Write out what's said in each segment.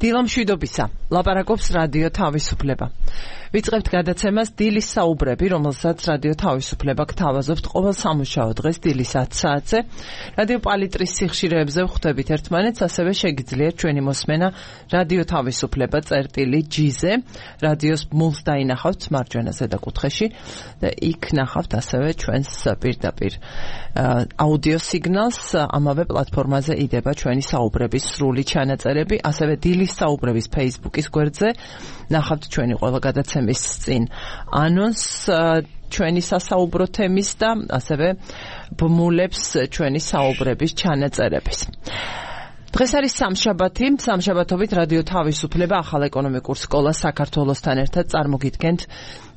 დილა მშვიდობისა, ლაპარაკობს რადიო თავისუფლება. ვიწყებთ გადაცემას დილის საუბრები, რომელსაც რადიო თავისუფლება გთავაზობთ ყოველ სამუშაო დღეს დილის 10 საათზე. რადიო პალიტრის სიხშირეებზე ვხვდებით ერთმანეთს, ასევე შეგიძლიათ ჩვენი მოსმენა რადიო თავისუფლება წერტილი-G-ზე, რადიოს მულს დაინახავთ მარჯვენა ზედა კუთხეში და იქ ნახავთ ასევე ჩვენს პირდაპირ აუდიო სიგნალს. ამავე პლატფორმაზე იდება ჩვენი საუბრების სრული ჩანაწერები, ასევე დილის საუბრების Facebook-ის გვერდზე ნახავთ ჩვენი ყველა გადაცემის წინ ანონსს ჩვენი სასაუბრო თემის და ასევე ბმულებს ჩვენი საუბრების ჩანაწერების. დღეს არის სამშაბათი, სამშაბათობით რადიო თავისუფლება ახალ ეკონომიკურ სკოლას საქართველოსთან ერთად წარმოგიდგენთ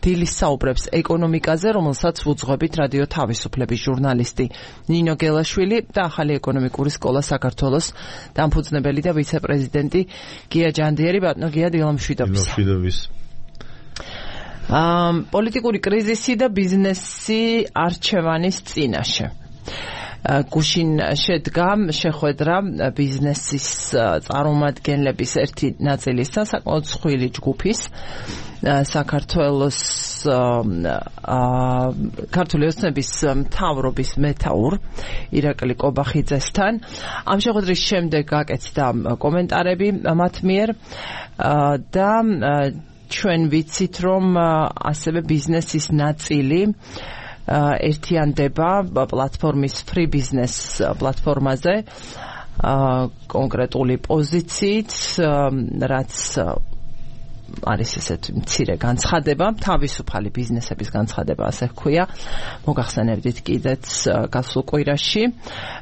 დილის საუბრებს ეკონომიკაზე, რომელსაც ვუძღვებით რადიო თავისუფლების ჟურნალისტი ნინო გელაშვილი და ახალი ეკონომიკური სკოლა საქართველოს დამფუძნებელი და ვიცე-პრეზიდენტი გია ჯანდიერი. ბატონო გია, დილა მშვიდობისა. პოლიტიკური კრიზისი და ბიზნესი არჩევანის წინაშე. გუშინ შედგა შეხვედრა ბიზნესის წარმომადგენლების ერთი ნაწილის და საკმაოდ მსხვილი ჯგუფის საქართველოს ქართული ოცნების მთავრობის მეთაურ ირაკლი კობახიძესთან. ამ შეხვედრის შემდეგ გაკეთდა კომენტარები მათ მიერ და ჩვენ ვიცით, რომ ასევე ბიზნესის ნაწილი ერთიანდება პლატფორმის Free Business პლატფორმაზე კონკრეტული პოზიციით, რაც არის ესეთ მცირე განცხადება, თავისუფალი ბიზნესების განცხადება, ასე ჰქვია. მოგახსენებდით კიდეც გასულ კვირაში,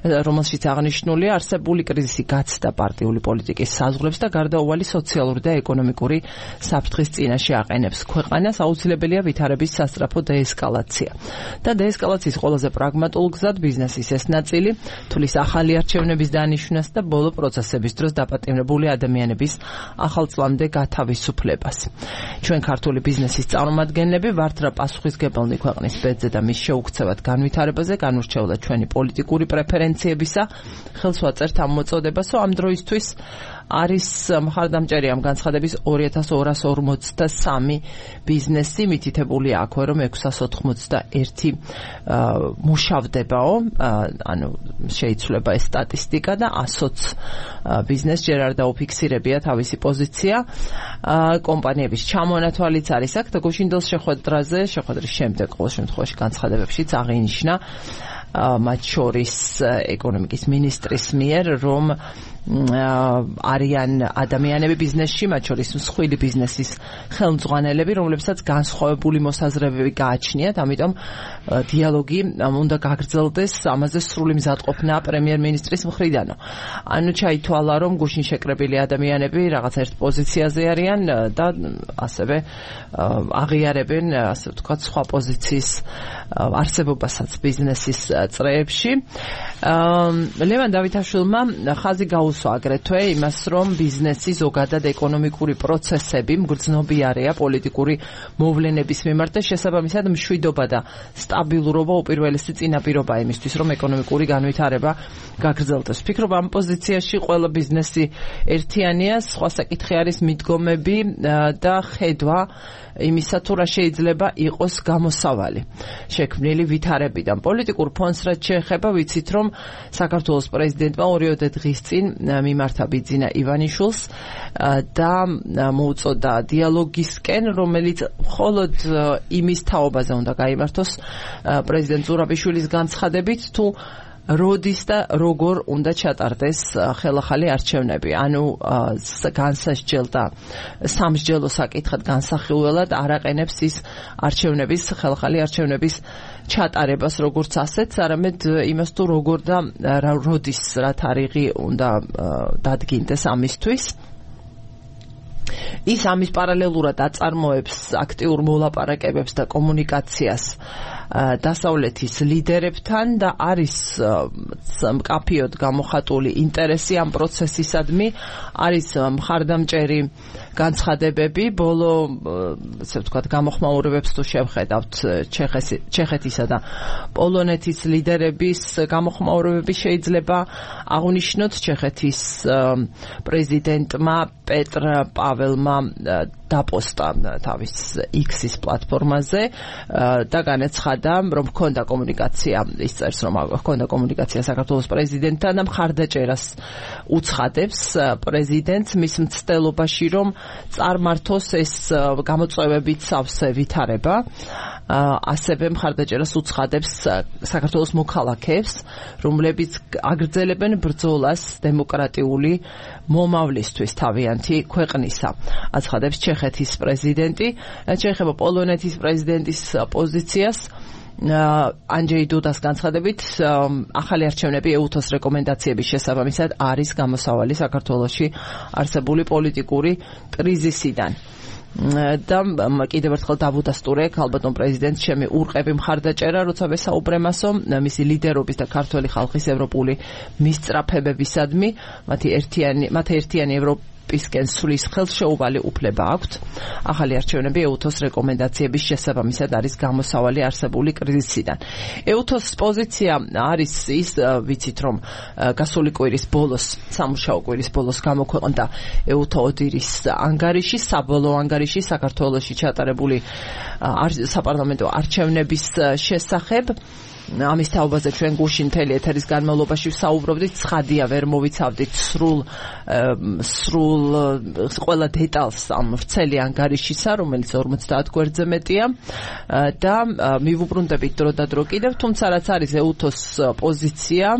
რომელშიც აღნიშნულია არსებული კრიზისი გაცდა პარტიული პოლიტიკის საზღვრებს და გარდაუვალი სოციალური და ეკონომიკური საფრთხის წინაშე აყენებს ქვეყანას. აუცილებელია ვითარების სასწრაფო დაესკალაცია. და დაესკალაციის ყველაზე პრაგმატულ გზად ბიზნესის ეს ნაწილი თulis ახალი არჩევნების დანიშვნას და ბოლო პროცესების დროს დაპატიმრებული ადამიანების ახალწლამდე გათავისუფლებას. ჩვენ ქართული ბიზნესის წარმომადგენლები ვართ რა პასუხისგებელნი ქვეყნის ბედზე და მის შეუქცევად განვითარებაზე, განურჩევლად ჩვენი პოლიტიკური პრეფერენციებისა ხელს ვაწერთ ამ მოწოდებას, ამ დროისთვის არის მხარდამჭერი ამ განცხადების 2243 ბიზნესი, მითითებულია აქვე, რომ 681 მუშავდებაო, ანუ შეიცვლება ეს სტატისტიკა და 120 ბიზნეს ჯერ არ დაუფიქსირებია თავისი პოზიცია. კომპანიების ჩამონათვალიც არის აქ და გუშინდელ შეხვედრის შემდეგ ყოველ შემთხვევაში განცხადებებშიც აღინიშნა მათ შორის ეკონომიკის მინისტრის მიერ, რომ არიან ადამიანები ბიზნესში, მათ შორის მსხვილი ბიზნესის ხელმძღვანელები, რომლებსაც განსხვავებული მოსაზრებები გააჩნიათ, ამიტომ დიალოგი უნდა გაგრძელდეს, ამაზე სრული მზადყოფნა პრემიერ-მინისტრის მხრიდანო. ანუ ჩაითვალა, რომ გუშინ შეკრებილი ადამიანები რაღაც ერთ პოზიციაზე არიან და ასევე აღიარებენ, ასე ვთქვათ, სხვა პოზიციის არსებობასაც ბიზნესის წრეებში. ლევან დავითაშვილმა ხაზი გაუსვა აგრეთვე იმას, რომ ბიზნესი ზოგადად ეკონომიკური პროცესები მგრძნობიარეა პოლიტიკური მოვლენების მიმართ და შესაბამისად მშვიდობა და სტაბილურობა უპირველესი წინაპირობაა იმისთვის, რომ ეკონომიკური განვითარება გაგრძელდეს. ვფიქრობ, ამ პოზიციაში ყველა ბიზნესი ერთიანია, სხვა საკითხი არის მიდგომები და ხედვა იმისა, თუ რა შეიძლება იყოს გამოსავალი შექმნილი ვითარებიდან. პოლიტიკურ ფონს რაც შეეხება, ვიცით, რომ საქართველოს პრეზიდენტმა 2 დღის წინ მიმართა ბიძინა ივანიშვილს და მოუწოდა დიალოგისკენ, რომელიც მხოლოდ იმის თაობაზე უნდა გაიმართოს პრეზიდენტ ზურაბიშვილის განცხადებით, თუ როდის და როგორ უნდა ჩატარდეს ხელახალი არჩევნები. ანუ განსასჯელ და სამსჯელო საკითხად განსახილველად არ აყენებს ის არჩევნების, ხელახალი არჩევნების ჩატარებას როგორც ასეთს, არამედ იმას თუ როგორ და როდის რა თარიღი უნდა დადგინდეს ამისთვის. ის ამის პარალელურად აწარმოებს აქტიურ მოლაპარაკებებს და კომუნიკაციას დასავლეთის ლიდერებთან და არის მკაფიოდ გამოხატული ინტერესი ამ პროცესისადმი, არის მხარდამჭერი განცხადებები ბოლო ასე ვთქვათ გამოხმაურებებს თუ შევხედავთ ჩეხეთისა და პოლონეთის ლიდერების გამოხმაურებები შეიძლება აღნიშნოთ ჩეხეთის პრეზიდენტმა პეტრ პაველმა დაპოსტა თავის X-ის პლატფორმაზე და განაცხადა რომ ჰქონდა კომუნიკაცია ის წერს რომ ჰქონდა კომუნიკაცია საქართველოს პრეზიდენტთან და მხარდაჭერას უცხადებს პრეზიდენტს მის მცდელობაში რომ წარმართოს ეს გამოწვევებით სავსე ვითარება ასევე მხარდაჭერას უცხადებს საქართველოს მოქალაქეებს რომლებიც აგრძელებენ ბრძოლას დემოკრატიული მომავლისთვის თავიანთი ქვეყნისა აცხადებს ჩეხეთის პრეზიდენტი შეეხება პოლონეთის პრეზიდენტის პოზიციას ანჯეი დუდას განცხადებით ახალი არჩევნები EUTOS რეკომენდაციების შესაბამისად არის გამოსავალი საქართველოში არსებული პოლიტიკური კრიზისიდან და კიდევ ერთხელ დავუდასტურე ქალბატონ პრეზიდენტს ჩემი ურყევი მხარდაჭერა როცა ვესაუბრემასო მისი ლიდერობის და ქართველი ხალხის ევროპული მისწრაფებებისადმი მათ ერთიანი ევროპისკენ სulis ხელშეუვალი უფლება აქვთ ახალი არჩევნები EUTOS რეკომენდაციების შესაბამისად არის გამოსავალი არსებული კრიზისიდან EUTOS პოზიცია არის ის ვიცით რომ გასული კვირის ბოლოს სამუშაო კვირის ბოლოს გამოქვეყნდა EUTO-ოდირის ანგარიში საბოლოო ანგარიში საქართველოში ჩატარებული საპარლამენტო არჩევნების შესახებ ამის თაობაზე ჩვენ გუშინ მთელი ეთერის განმავლობაში ვსაუბრობდით ცხადია ვერ მოვიცავდით სრულ ყველა დეტალს ამ ვრცელი ანგარიშისა რომელიც 50 გვერდზე მეტია და მივუბრუნდებით დრო და დრო კიდევ თუმცა რაც არის EUTOS პოზიცია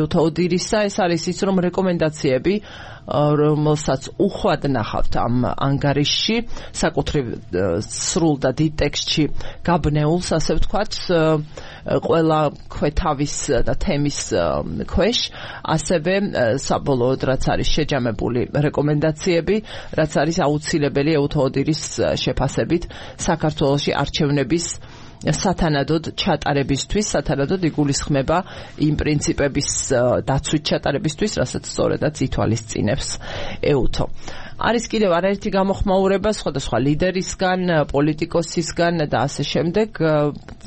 EUTO-ოდირისა ეს არის ის რომ რეკომენდაციები რომელსაც უხვად ნახავთ ამ ანგარიშში საკუთრივ სრულ და დიდ ტექსტში გაბნეულს ასე ვთქვათ ყველა ქვეთავის და თემის ქვეშ ასევე საბოლოოდ რაც არის შეჯამებული რეკომენდაციები რაც არის აუცილებელი EUTO-ოდირის შეფასებით საქართველოში არჩევნების სათანადოდ ჩატარებისთვის, სათანადოდ იგულისხმება იმ პრინციპების დაცვით ჩატარებისთვის, რასაც სწორედაც ითვალისწინებს EUTO. არის კიდევ არაერთი გამოხმაურება სხვადასხვა ლიდერისგან, პოლიტიკოსისგან და ასე შემდეგ.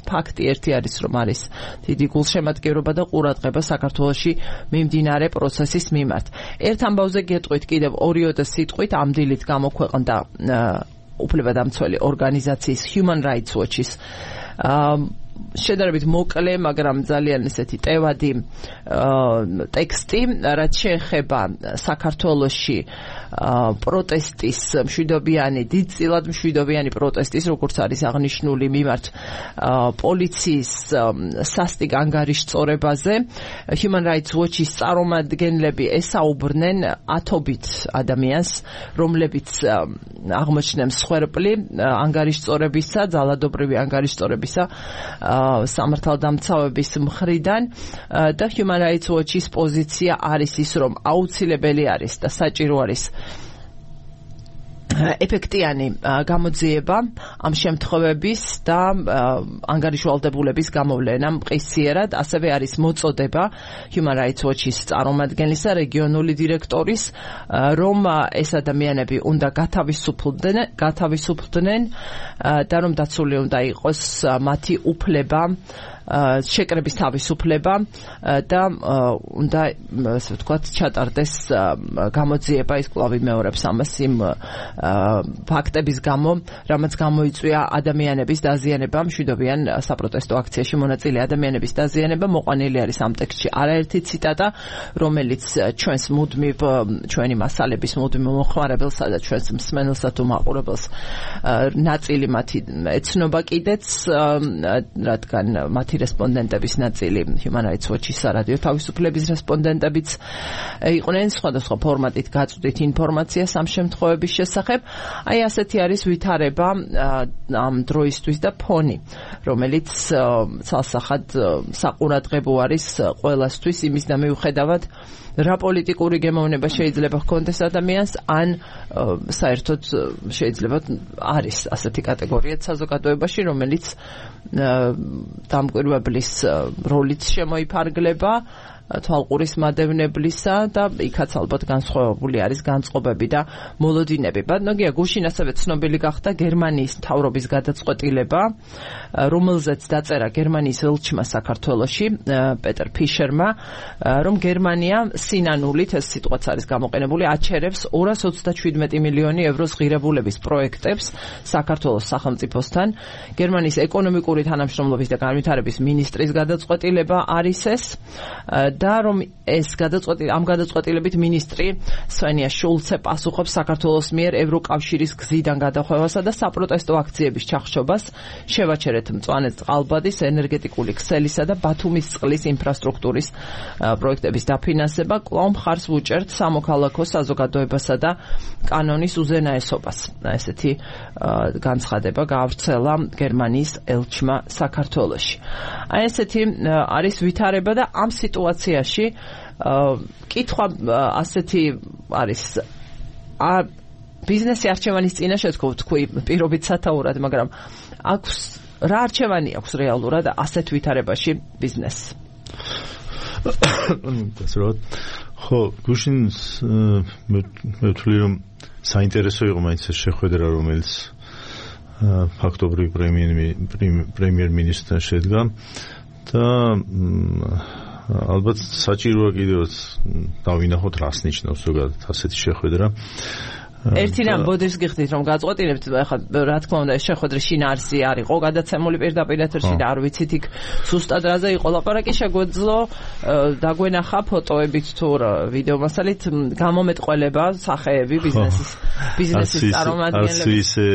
ფაქტი ერთი არის, რომ არის დიდი გულშემატკივრობა და ყურადღება საქართველოში მიმდინარე პროცესის მიმართ. ერთ ამბავზე გეტყვით კიდევ 2 სიტყვით ამ დილით გამოქვეყნდა უფლებადამცველი ორგანიზაციის Human Rights Watch-ის შედარებით მოკლე, მაგრამ ძალიან ისეთი ტევადი ტექსტი, რაც შეეხება საქართველოში პროტესტის მშვიდობიანი, დიდწილად მშვიდობიანი პროტესტის, როგორც არის აღნიშნული მიმართ პოლიციის სასტიკ ანგარიშწორებაზე. Human Rights Watch-ის წარმომადგენლები ესაუბრნენ ათობით ადამიანს, რომლებიც აღმოჩნდნენ მსხვერპლი ანგარიშწორებისა, ძალადობრივი ანგარიშწორებისა სამართალდამცავების მხრიდან და Human Rights Watch-ის პოზიცია არის ის, რომ აუცილებელი არის და საჭირო არის ეფექტიანი გამოძიება ამ შემთხვევების და ანგარიშვალდებულების გამოვლენა მყისიერად, ასევე არის მოწოდება Human Rights Watch-ის წარმომადგენლისა, რეგიონული დირექტორის, რომ ეს ადამიანები უნდა გათავისუფლდნენ და რომ დაცული უნდა იყოს მათი უფლება შეკრების თავისუფლება და უნდა ასე ვთქვათ ჩატარდეს გამოძიება ის კვლავ იმეორებს ამას იმ ფაქტების გამო, რამაც გამოიწვია ადამიანების დაზიანება მშვიდობიან საპროტესტო აქციაში მონაწილე ადამიანების დაზიანება. მოყვანილი არის ამ ტექსტში არაერთი ციტატა, რომელიც ჩვენი მასალების მუდმივ მოხმარებელსა და ჩვენს მსმენელსა თუ მაყურებელს ნაწილი მათი ეცნობა კიდეც, რადგან მათი რესპონდენტების ნაწილი Human Rights Watch-ის სარადიო თავისუფლების რესპონდენტებიც იყვნენ, სხვადასხვა ფორმატით გაწვდით ინფორმაციას ამ შემთხვევების შესახებ. აი ასეთი არის ვითარება ამ დროისთვის და ფონი, რომელიც ცალსახად საყურადღებო არის ყველასთვის იმის და მიუხედავად რა პოლიტიკური გემოვნება შეიძლება ჰქონდეს ადამიანს, ან საერთოდ შეიძლება არის ასეთი კატეგორია საზოგადოებაში, რომელიც დამკვირვებლის როლით შემოიფარგლება თვალყურის მადევნებლისა და იქაც ალბათ განსხვავებული არის განწყობები და მოლოდინები. ბატონია გუშინ ასევე ცნობილი გახდა გერმანიის მთავრობის გადაწყვეტილება, რომელზეც დაწერა გერმანიის ელჩმა საქართველოში პეტერ ფიშერმა, რომ გერმანია სინანულით, ეს სიტყვაც არის გამოყენებული, აჩერებს 227 მილიონი ევროს ღირებულების პროექტებს საქართველოს სახელმწიფოსთან. გერმანიის ეკონომიკური თანამშრომლობის და განვითარების მინისტრის გადაწყვეტილება არის ეს და რომ ამ გადაწყვეტილებით მინისტრი სვენია შულცე პასუხობს საქართველოს მიერ ევროკავშირის გზიდან გადახვევასა და საპროტესტო აქციების ჩახშობას, შევაჩერეთ მწვანე წყალბადის, ენერგეტიკული ქსელისა და ბათუმის წყლის ინფრასტრუქტურის პროექტების დაფინანსება, კვლავ მხარს ვუჭერთ სამოქალაქო საზოგადოებასა და კანონის უზენაესობას. ესეთი განცხადება გაავრცელა გერმანიის ელჩმა საქართველოში. აი ესეთი არის ვითარება და ამ სიტუაციაში კითხვა ასეთი არის ბიზნესი არჩევანის წინაშე თქვი პირობით სათაურად, მაგრამ აქვს რა არჩევანი აქვს რეალურად ასეთ ვითარებაში ბიზნესს? ხო, გუშინ მე ვთვლი რომ საინტერესო იყო მაინც ეს შეხვედრა, რომელიც ფაქტობრივ პრემიერ-მინისტრთან შედგა და ალბათ საჭიროა კიდევაც დავინახოთ რას ნიშნავს ზოგადად ასეთი შეხვედრა. ერთი რამ ბოდიშს გიხდით რომ გაწყვეტილებთ, ახლა რა თქმა უნდა ეს შეხვედრა შინაარსი არ იყო გადაცემული პირდაპირ ეთერში და არ ვიცით იქ ზუსტად რაზე იყო ლაპარაკი, შეგვეძლო დაგვენახა ფოტოებით თუ ვიდეო მასალით გამომეტყველება სახეები ბიზნესის წარმომადგენლები. ისე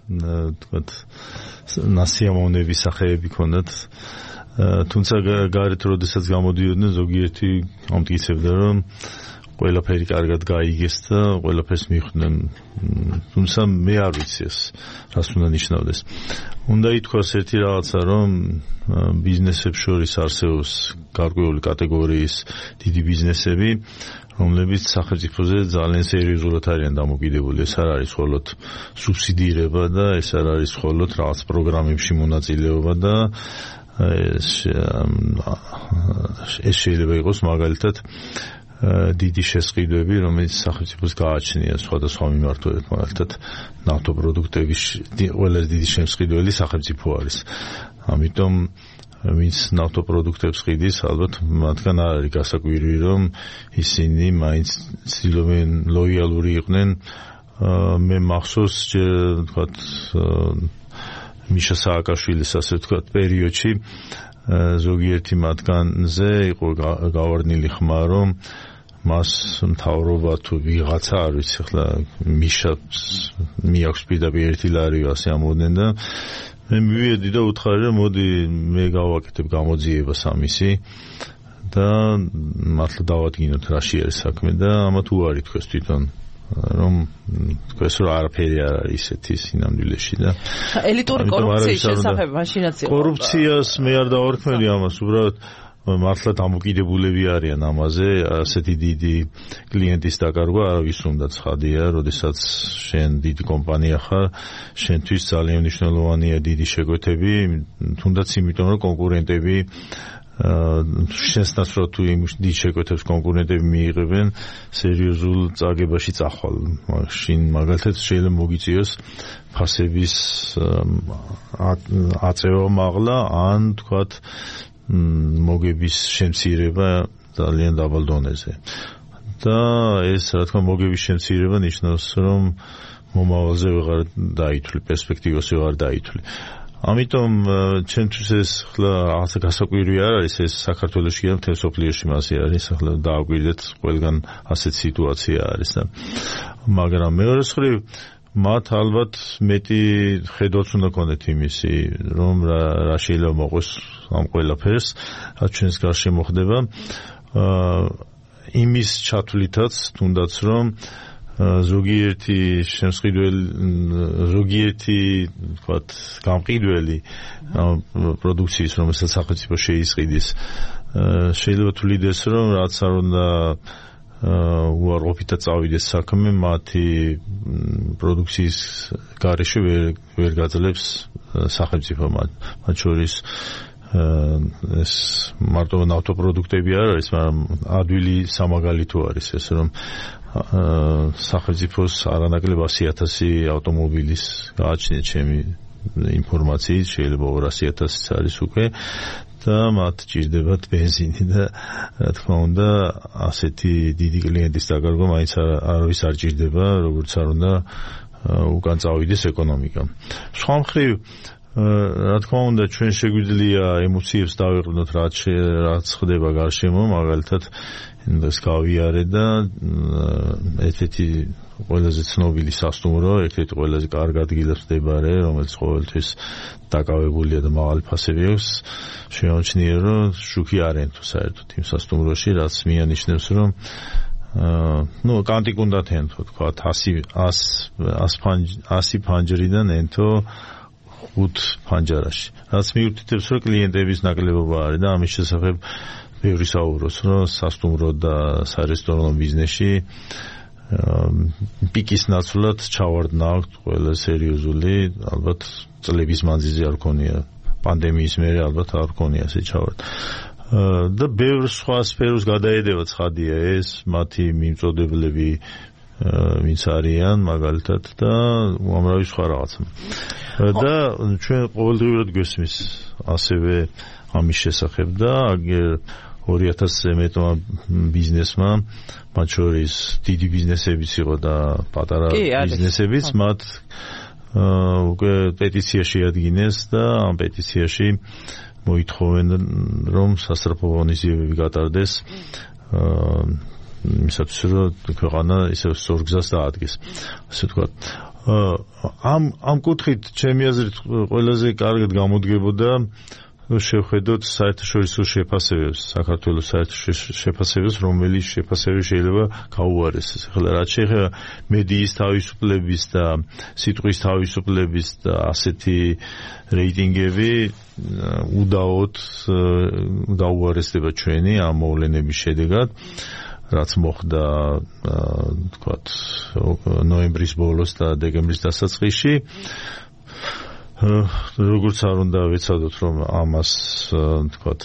თქვათ ნასიამოვნები სახეები ქონდათ. თუმცა გარეთ როდესაც გამოდიოდნენ ზოგიერთი ამტკიცებდა რომ ყველაფერი კარგად გაიგეს და ყველაფერს მიხვდნენ. თუმცა მე არ ვიცი ეს რას უნდა ნიშნავდეს. უნდა ითქვას ერთი რაღაცა, რომ ბიზნესებს შორის არსებობს გარკვეული კატეგორიის დიდი ბიზნესები, რომლებიც სახელმწიფოზე ძალიან სერიოზულად არიან დამოკიდებული. ეს არ არის მხოლოდ სუბსიდირება და ეს არ არის მხოლოდ რაღაც პროგრამებში მონაწილეობა და ეს შეიძლება იყოს მაგალითად დიდი შესყიდვები, რომელიც სახელმწიფოს გააჩნია სხვადასხვა მიმართულებით, მაგალითად ნავთობპროდუქტების ყველაზე დიდი შემსყიდველი სახელმწიფო არის. ამიტომ ვინც ნავთობპროდუქტებს ყიდის, ალბათ მათგან არ არის გასაკვირი, რომ ისინი მაინც ცდილობენ ლოიალური იყვნენ. მე მახსოვს თქვათ მიშა სააკაშვილის ასე ვთქვათ პერიოდში ზოგიერთი მათგანზე იყო გავარდნილი ხმა, რომ მას მთავრობა თუ ვიღაცა არ ვიცი, ახლა მიშას მიაქვს პირდაპირ 1 ლარი ასე ამოდნენ და მე მივედი და უთხარი რომ მოდი მე გავაკეთებ გამოძიებას ამისი და მართლა დავადგინოთ რაში არის საქმე და ამათ უარი თქვეს თვითონ რომ თქვეს რომ არაფერი არ არის ისეთი სინამდვილეში და ელიტური კორუფციის შესახებ მაშინაც იყო. კორუფციას მე არ დავარქმევი ამას, უბრალოდ მართლა დამოკიდებულები არიან ამაზე, ასეთი დიდი კლიენტის დაკარგვა არავის უნდა ცხადია, როდესაც შენ დიდი კომპანია ხარ, შენთვის ძალიან მნიშვნელოვანია დიდი შეკვეთები, თუნდაც იმიტომ რომ კონკურენტები შენსთან რო თუ იმ დიდ შეკვეთებს კონკურენტები მიიღებენ, სერიოზულ წაგებაში წახვალ. მაშინ მაგალითად შეიძლება მოგიწიოს ფასების აწევა მაღლა, ან თქვათ მოგების შემცირება ძალიან დაბალ დონეზე. და ეს რა თქმა მოგების შემცირება ნიშნავს, რომ მომავალზე ვეღარ დაითვლი, პერსპექტივას ვეღარ დაითვლი. ამიტომ ჩემთვის ეს ხლა რაღაცა გასაკვირი არ არის, ეს საქართველოში და მთელ სოფლიოში მასე არის, ახლა დააკვირდეთ ყველგან ასეთ სიტუაცია არის და მაგრამ მეორე მხრივ მათ ალბათ მეტი ხედვაც უნდა ქონდეთ იმისი, რომ რა შეიძლება მოყოს ამ ყველაფერს, რაც ჩვენს გარშემო ხდება, იმის ჩათვლითაც თუნდაც რომ ზოგიერთი შემსყიდველი, ზოგიერთი თქვათ გამყიდველი პროდუქციის, რომელსაც სახელმწიფო შეისყიდის, შეიძლება თვლიდეს, რომ რაც არ უნდა უარყოფითად წავიდეს საქმე, მათი პროდუქციის გარეშე ვერ გაძლებს სახელმწიფო მათ შორის ეს მარტო ნავთობპროდუქტები არ არის, მაგრამ ადვილი სამაგალითო არის ეს, რომ სახელმწიფოს არანაკლებ 100,000 ავტომობილის გააჩნიათ ჩემი ინფორმაციით, შეიძლება 200,000-იც არის უკვე და მათ ჭირდებათ ბენზინი და რა თქმა უნდა ასეთი დიდი კლიენტის დაკარგვა მაინც არავის არ ჭირდება, როგორც არ უნდა უკან წავიდეს ეკონომიკა. სხვა მხრივ რა თქმა უნდა ჩვენ შეგვიძლია ემოციებს დავიყვნოთ რაც ხდება გარშემო, მაგალითად ეს გავიარე და ერთ-ერთი ყველაზე ცნობილი სასტუმრო, ერთ-ერთი ყველაზე კარგ ადგილას მდებარე, რომელიც ყოველთვის დაკავებულია და მაღალი ფასები აქვს, შემოჩნია, რომ შუქი არ ენთო საერთოდ იმ სასტუმროში, რაც მიანიშნებს, რომ კანტიკ უნდა ენთო, თქვა 100 ფანჯრიდან ენთო 5 ფანჯარაში. რაც მიუთითებს, რომ კლიენტების ნაკლებობა არის და ამის შესახებ ბევრი საუბრობს, რომ სასტუმრო და სარესტორანო ბიზნესში პიკის ნაცვლად ჩავარდნა აქვს ყველა სერიოზული, ალბათ წლების მანძილზე არ ქონია, პანდემიის მერე ალბათ არ ქონია ასე ჩავარდნა. და ბევრ სხვა სფეროს გადაედება ცხადია ეს, მათი მიმწოდებლები ვინც არიან მაგალითად და უამრავი სხვა რაღაცა. და ჩვენ ყოველდღიურად გვესმის ასევე ამის შესახებ და აგერ 2000-ზე მეტმა ბიზნესმა, მათ შორის დიდი ბიზნესებიც იყო და პატარა ბიზნესებიც, მათ უკვე პეტიცია შეადგინეს და ამ პეტიციაში მოითხოვენ, რომ სასწრაფო ღონისძიებები გატარდეს იმისათვის, რომ ქვეყანა ისევ სწორ გზას დაადგეს, ასე ვთქვათ. ამ კუთხით ჩემი აზრით ყველაზე კარგად გამოდგებოდა შევხედოთ საერთაშორისო შეფასებებს, საქართველოს საერთაშორისო შეფასებებს, რომელიც შეფასებები შეიძლება გაუარესდეს. ახლა რაც შეეხება მედიის თავისუფლების და სიტყვის თავისუფლების და ასეთი რეიტინგები უდაოდ გაუარესდება ჩვენი ამ მოვლენების შედეგად, რაც მოხდა თქვათ ნოემბრის ბოლოს და დეკემბრის დასაწყისში. როგორც არ უნდა ვეცადოთ, რომ ამას თქვათ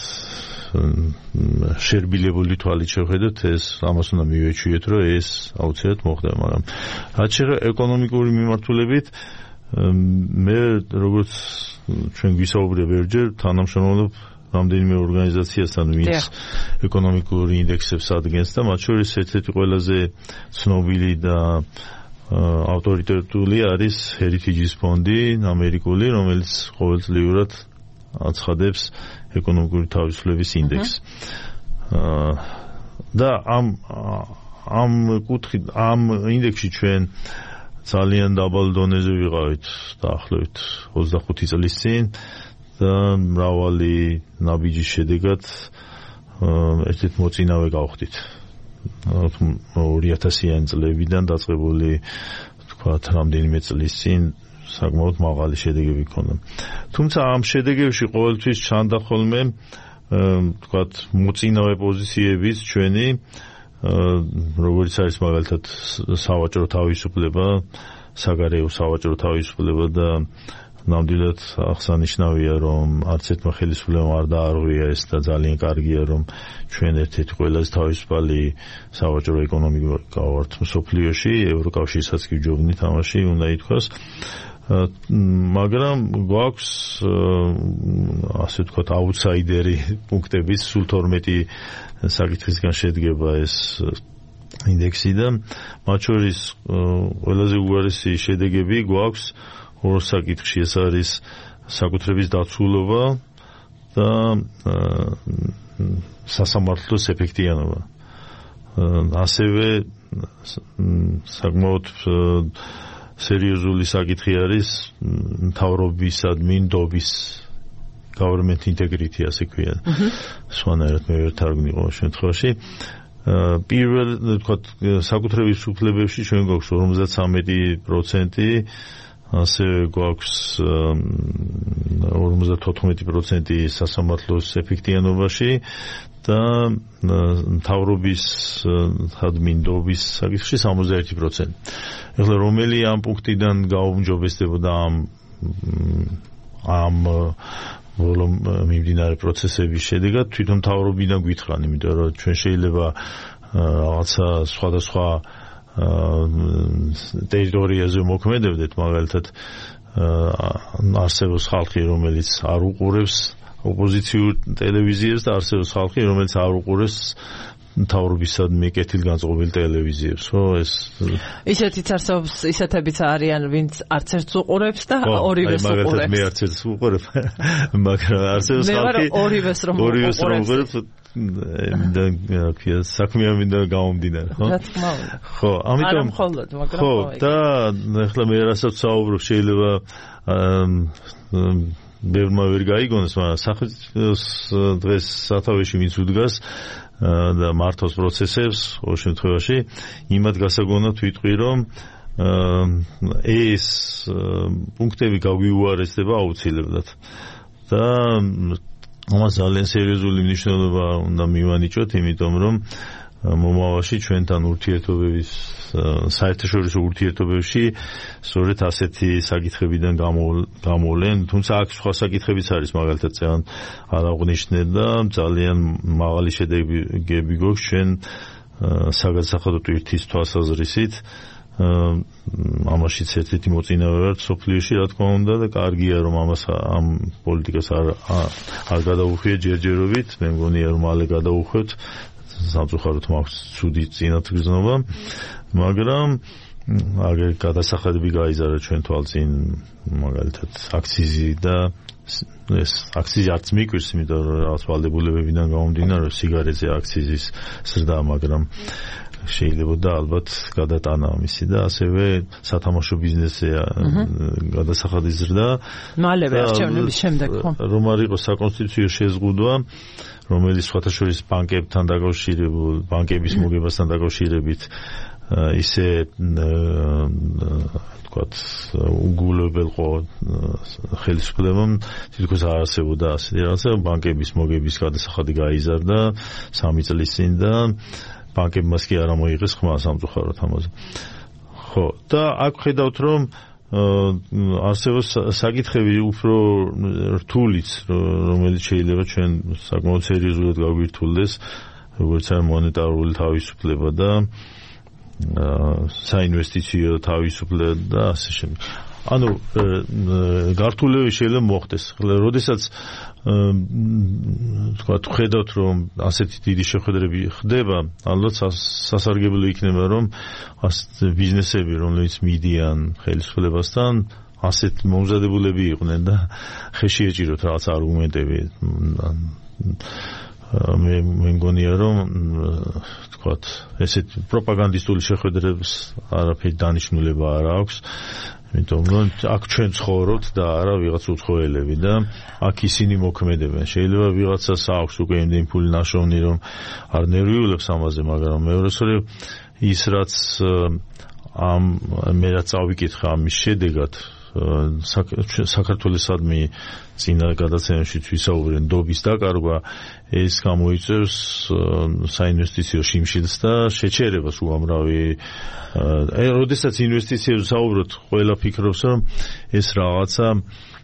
შერბილებული თვალით შევხედოთ, ამას უნდა მივეჩვიეთ, რომ ეს აუცილებლად მოხდა, მაგრამ რაც შეეხება ეკონომიკური მიმართულებით, მე როგორც ჩვენ გვისაუბრია ბევრჯერ, თანამშრომლობ რამდენიმე ორგანიზაციასთან, ვინც ეკონომიკური ინდექსებს ადგენს და მათ შორის ერთ-ერთი ყველაზე ცნობილი და ავტორიტეტული არის Heritage ფონდი ამერიკული, რომელიც ყოველწლიურად აცხადებს ეკონომიკური თავისუფლების ინდექსს. და ამ კუთხით, ამ ინდექსში ჩვენ ძალიან დაბალ დონეზე ვიყავით დაახლოებით 25 წლის წინ და მრავალი ნაბიჯის შედეგად ერთ-ერთ მოწინავე გავხდით. 2000-იან წლებიდან დაწყებული თქვათ რამდენიმე წლის წინ საკმაოდ მაღალი შედეგები ჰქონდა. თუმცა ამ შედეგებში ყოველთვის ჩანდა ხოლმე თქვათ მოწინავე პოზიციების ჩვენი, როგორც არის მაგალითად სავაჭრო თავისუფლება, საგარეო სავაჭრო თავისუფლება და ნამდვილად აღსანიშნავია, რომ არც ერთმა ხელისუფლებამ არ დაარღვია ეს და ძალიან კარგია, რომ ჩვენ ერთ-ერთი ყველაზე თავისუფალი სავაჭრო ეკონომიკა ვართ მსოფლიოში, ევროკავშირსაც კი ვჯობნით ამაში, უნდა ითქვას. მაგრამ გვაქვს ასე ვთქვათ აუთსაიდერი პუნქტების სულ 12 საკითხისგან შედგება ეს ინდექსი და მათ შორის ყველაზე უარესი შედეგები გვაქვს ორ საკითხში, ეს არის საკუთრების დაცულობა და სასამართლოს ეფექტიანობა. ასევე საკმაოდ სერიოზული საკითხი არის მთავრობისადმი ნდობის government integrity, ასე ქვია. სხვანაირად მე ვერ თარგმნი ყოველ შემთხვევაში. პირველ ვთქვათ საკუთრების უფლებებში ჩვენ გვაქვს 53%, ასე გვაქვს 54% სასამართლოს ეფექტიანობაში და მთავრობის ადმინდობის საკითხში 61%. ეხლა რომელი ამ პუნქტიდან გაუმჯობესდებოდა ამ ბოლო მიმდინარე პროცესების შედეგად თვითონ მთავრობიდან გვითხრან, იმიტომ რომ ჩვენ შეიძლება რაღაცა სხვადასხვა ტერიტორიაზე მოქმედებდეთ, მაგალითად არსებობს ხალხი, რომელიც არ უყურებს ოპოზიციურ ტელევიზიებს და არსებობს ხალხი, რომელიც არ უყურებს მთავრობისადმი კეთილგანწყობილ ტელევიზიებს, ხო, ეს ისეთიც არსებობს, ისეთებიც არიან, ვინც არც ერთს უყურებს და ორივეს უყურებს. მაგალითად მე არც ერთს ვუყურებ, მაგრამ არსებობს ხალხი, ორივეს რომ უყურებს და საქმეა მინდა გამომდინარე, ხო? რა თქმა უნდა. ხო, ამიტომ მხოლოდ, მაგრამ ხო, და ახლა მე რასაც საუბრობ, შეიძლება ბევრმა ვერ გაიგონოს, მაგრამ სახელმწიფოს დღეს სათავეში ვინც უდგას და მართავს პროცესებს, ყოველ შემთხვევაში იმად გასაგონად ვიტყვი, რომ ეს პუნქტები გაგვიუარესდება აუცილებლად და ამას ძალიან სერიოზული მნიშვნელობა უნდა მივანიჭოთ, იმიტომ რომ მომავალში ჩვენთან ურთიერთობების საერთაშორისო ურთიერთობებში სწორედ ასეთი საკითხებიდან გამოვლენ, თუმცა აქ სხვა საკითხებიც არის, მაგალითად წევან არ აღნიშნე და ძალიან მაღალი შედეგები გვაქვს ჩვენ საგადასახადო ტვირთის თვალსაზრისით. ამაშიც ერთ-ერთი მოწინავე ვარ სოფლიოში, რა თქმა უნდა, და კარგია რომ ამ პოლიტიკას არ გადაუხვიეთ ჯერჯერობით, მე მგონია რომ მალე გადაუხვევთ, სამწუხაროდ მაქვს ცუდი წინათგრძნობა, მაგრამ აგერ გადასახადები გაიზარდა ჩვენ თვალწინ, მაგალითად აქციზი და ეს აქციზი არც მიკვირს, იმიტომ რომ რაღაც ვალდებულებებიდან გამომდინარე სიგარეტზე აქციზის ზრდა, მაგრამ შეიძლება და ალბათ გადატანა ამისი და ასევე სათამაშო ბიზნესზე გადასახადის ზრდა მალევე არჩევნების შემდეგ, ხო? რომ არ იყოს საკონსტიტუციო შეზღუდვა, რომელიც სხვათაშორის ბანკებთან დაკავშირებულ, ბანკების მოგებასთან დაკავშირებით ისე თქვათ უგულებელყო ხელისუფლებამ თითქოს არ არსებობდა ასეთი რაღაცა, ბანკების მოგების გადასახადი გაიზარდა 3 წლის წინ და ბანკებმაც კი არ მოიღეს ხმა სამწუხაროდ ამაზე. ხო, და აქ ხედავთ რომ არსებობს საკითხები უფრო რთულიც, რომელიც შეიძლება ჩვენ საკმაოდ სერიოზულად გაგვირთულდეს, როგორც არის მონეტარული თავისუფლება და საინვესტიციო თავისუფლება და ასე შემდეგ. ანუ გართულები შეიძლება მოხდეს. როდესაც თქვათ ხედავთ რომ ასეთი დიდი შეხვედრები ხდება, ალბათ სასარგებლო იქნება რომ ბიზნესები, რომლებიც მიდიან ხელისუფლებასთან, ასეთ მომზადებულები იყვნენ და ხეში ეჭიროთ რაღაც არგუმენტები. მე მგონია რომ თქვათ ესეთ პროპაგანდისტული შეხვედრებს არაფერი დანიშნულება არ აქვს, იმიტომ რომ აქ ჩვენ ცხოვრობთ და არა ვიღაც უცხოელები და აქ ისინი მოქმედებენ. შეიძლება ვიღაცას აქვს უკვე იმდენი ფული ნაშოვნი რომ არ ნერვიულებს ამაზე, მაგრამ მეორესწორი ის რაც მე რაც წავიკითხე ამის შედეგად საქართველოსადმი წინა გადაცემებში ვისაუბრეთ ნდობის დაკარგვა, ეს გამოიწვევს საინვესტიციო შიმშილს და შეჩერებას უამრავი. როდესაც ინვესტიციებზე საუბრობთ, ყველა ფიქრობს რომ ეს რაღაცა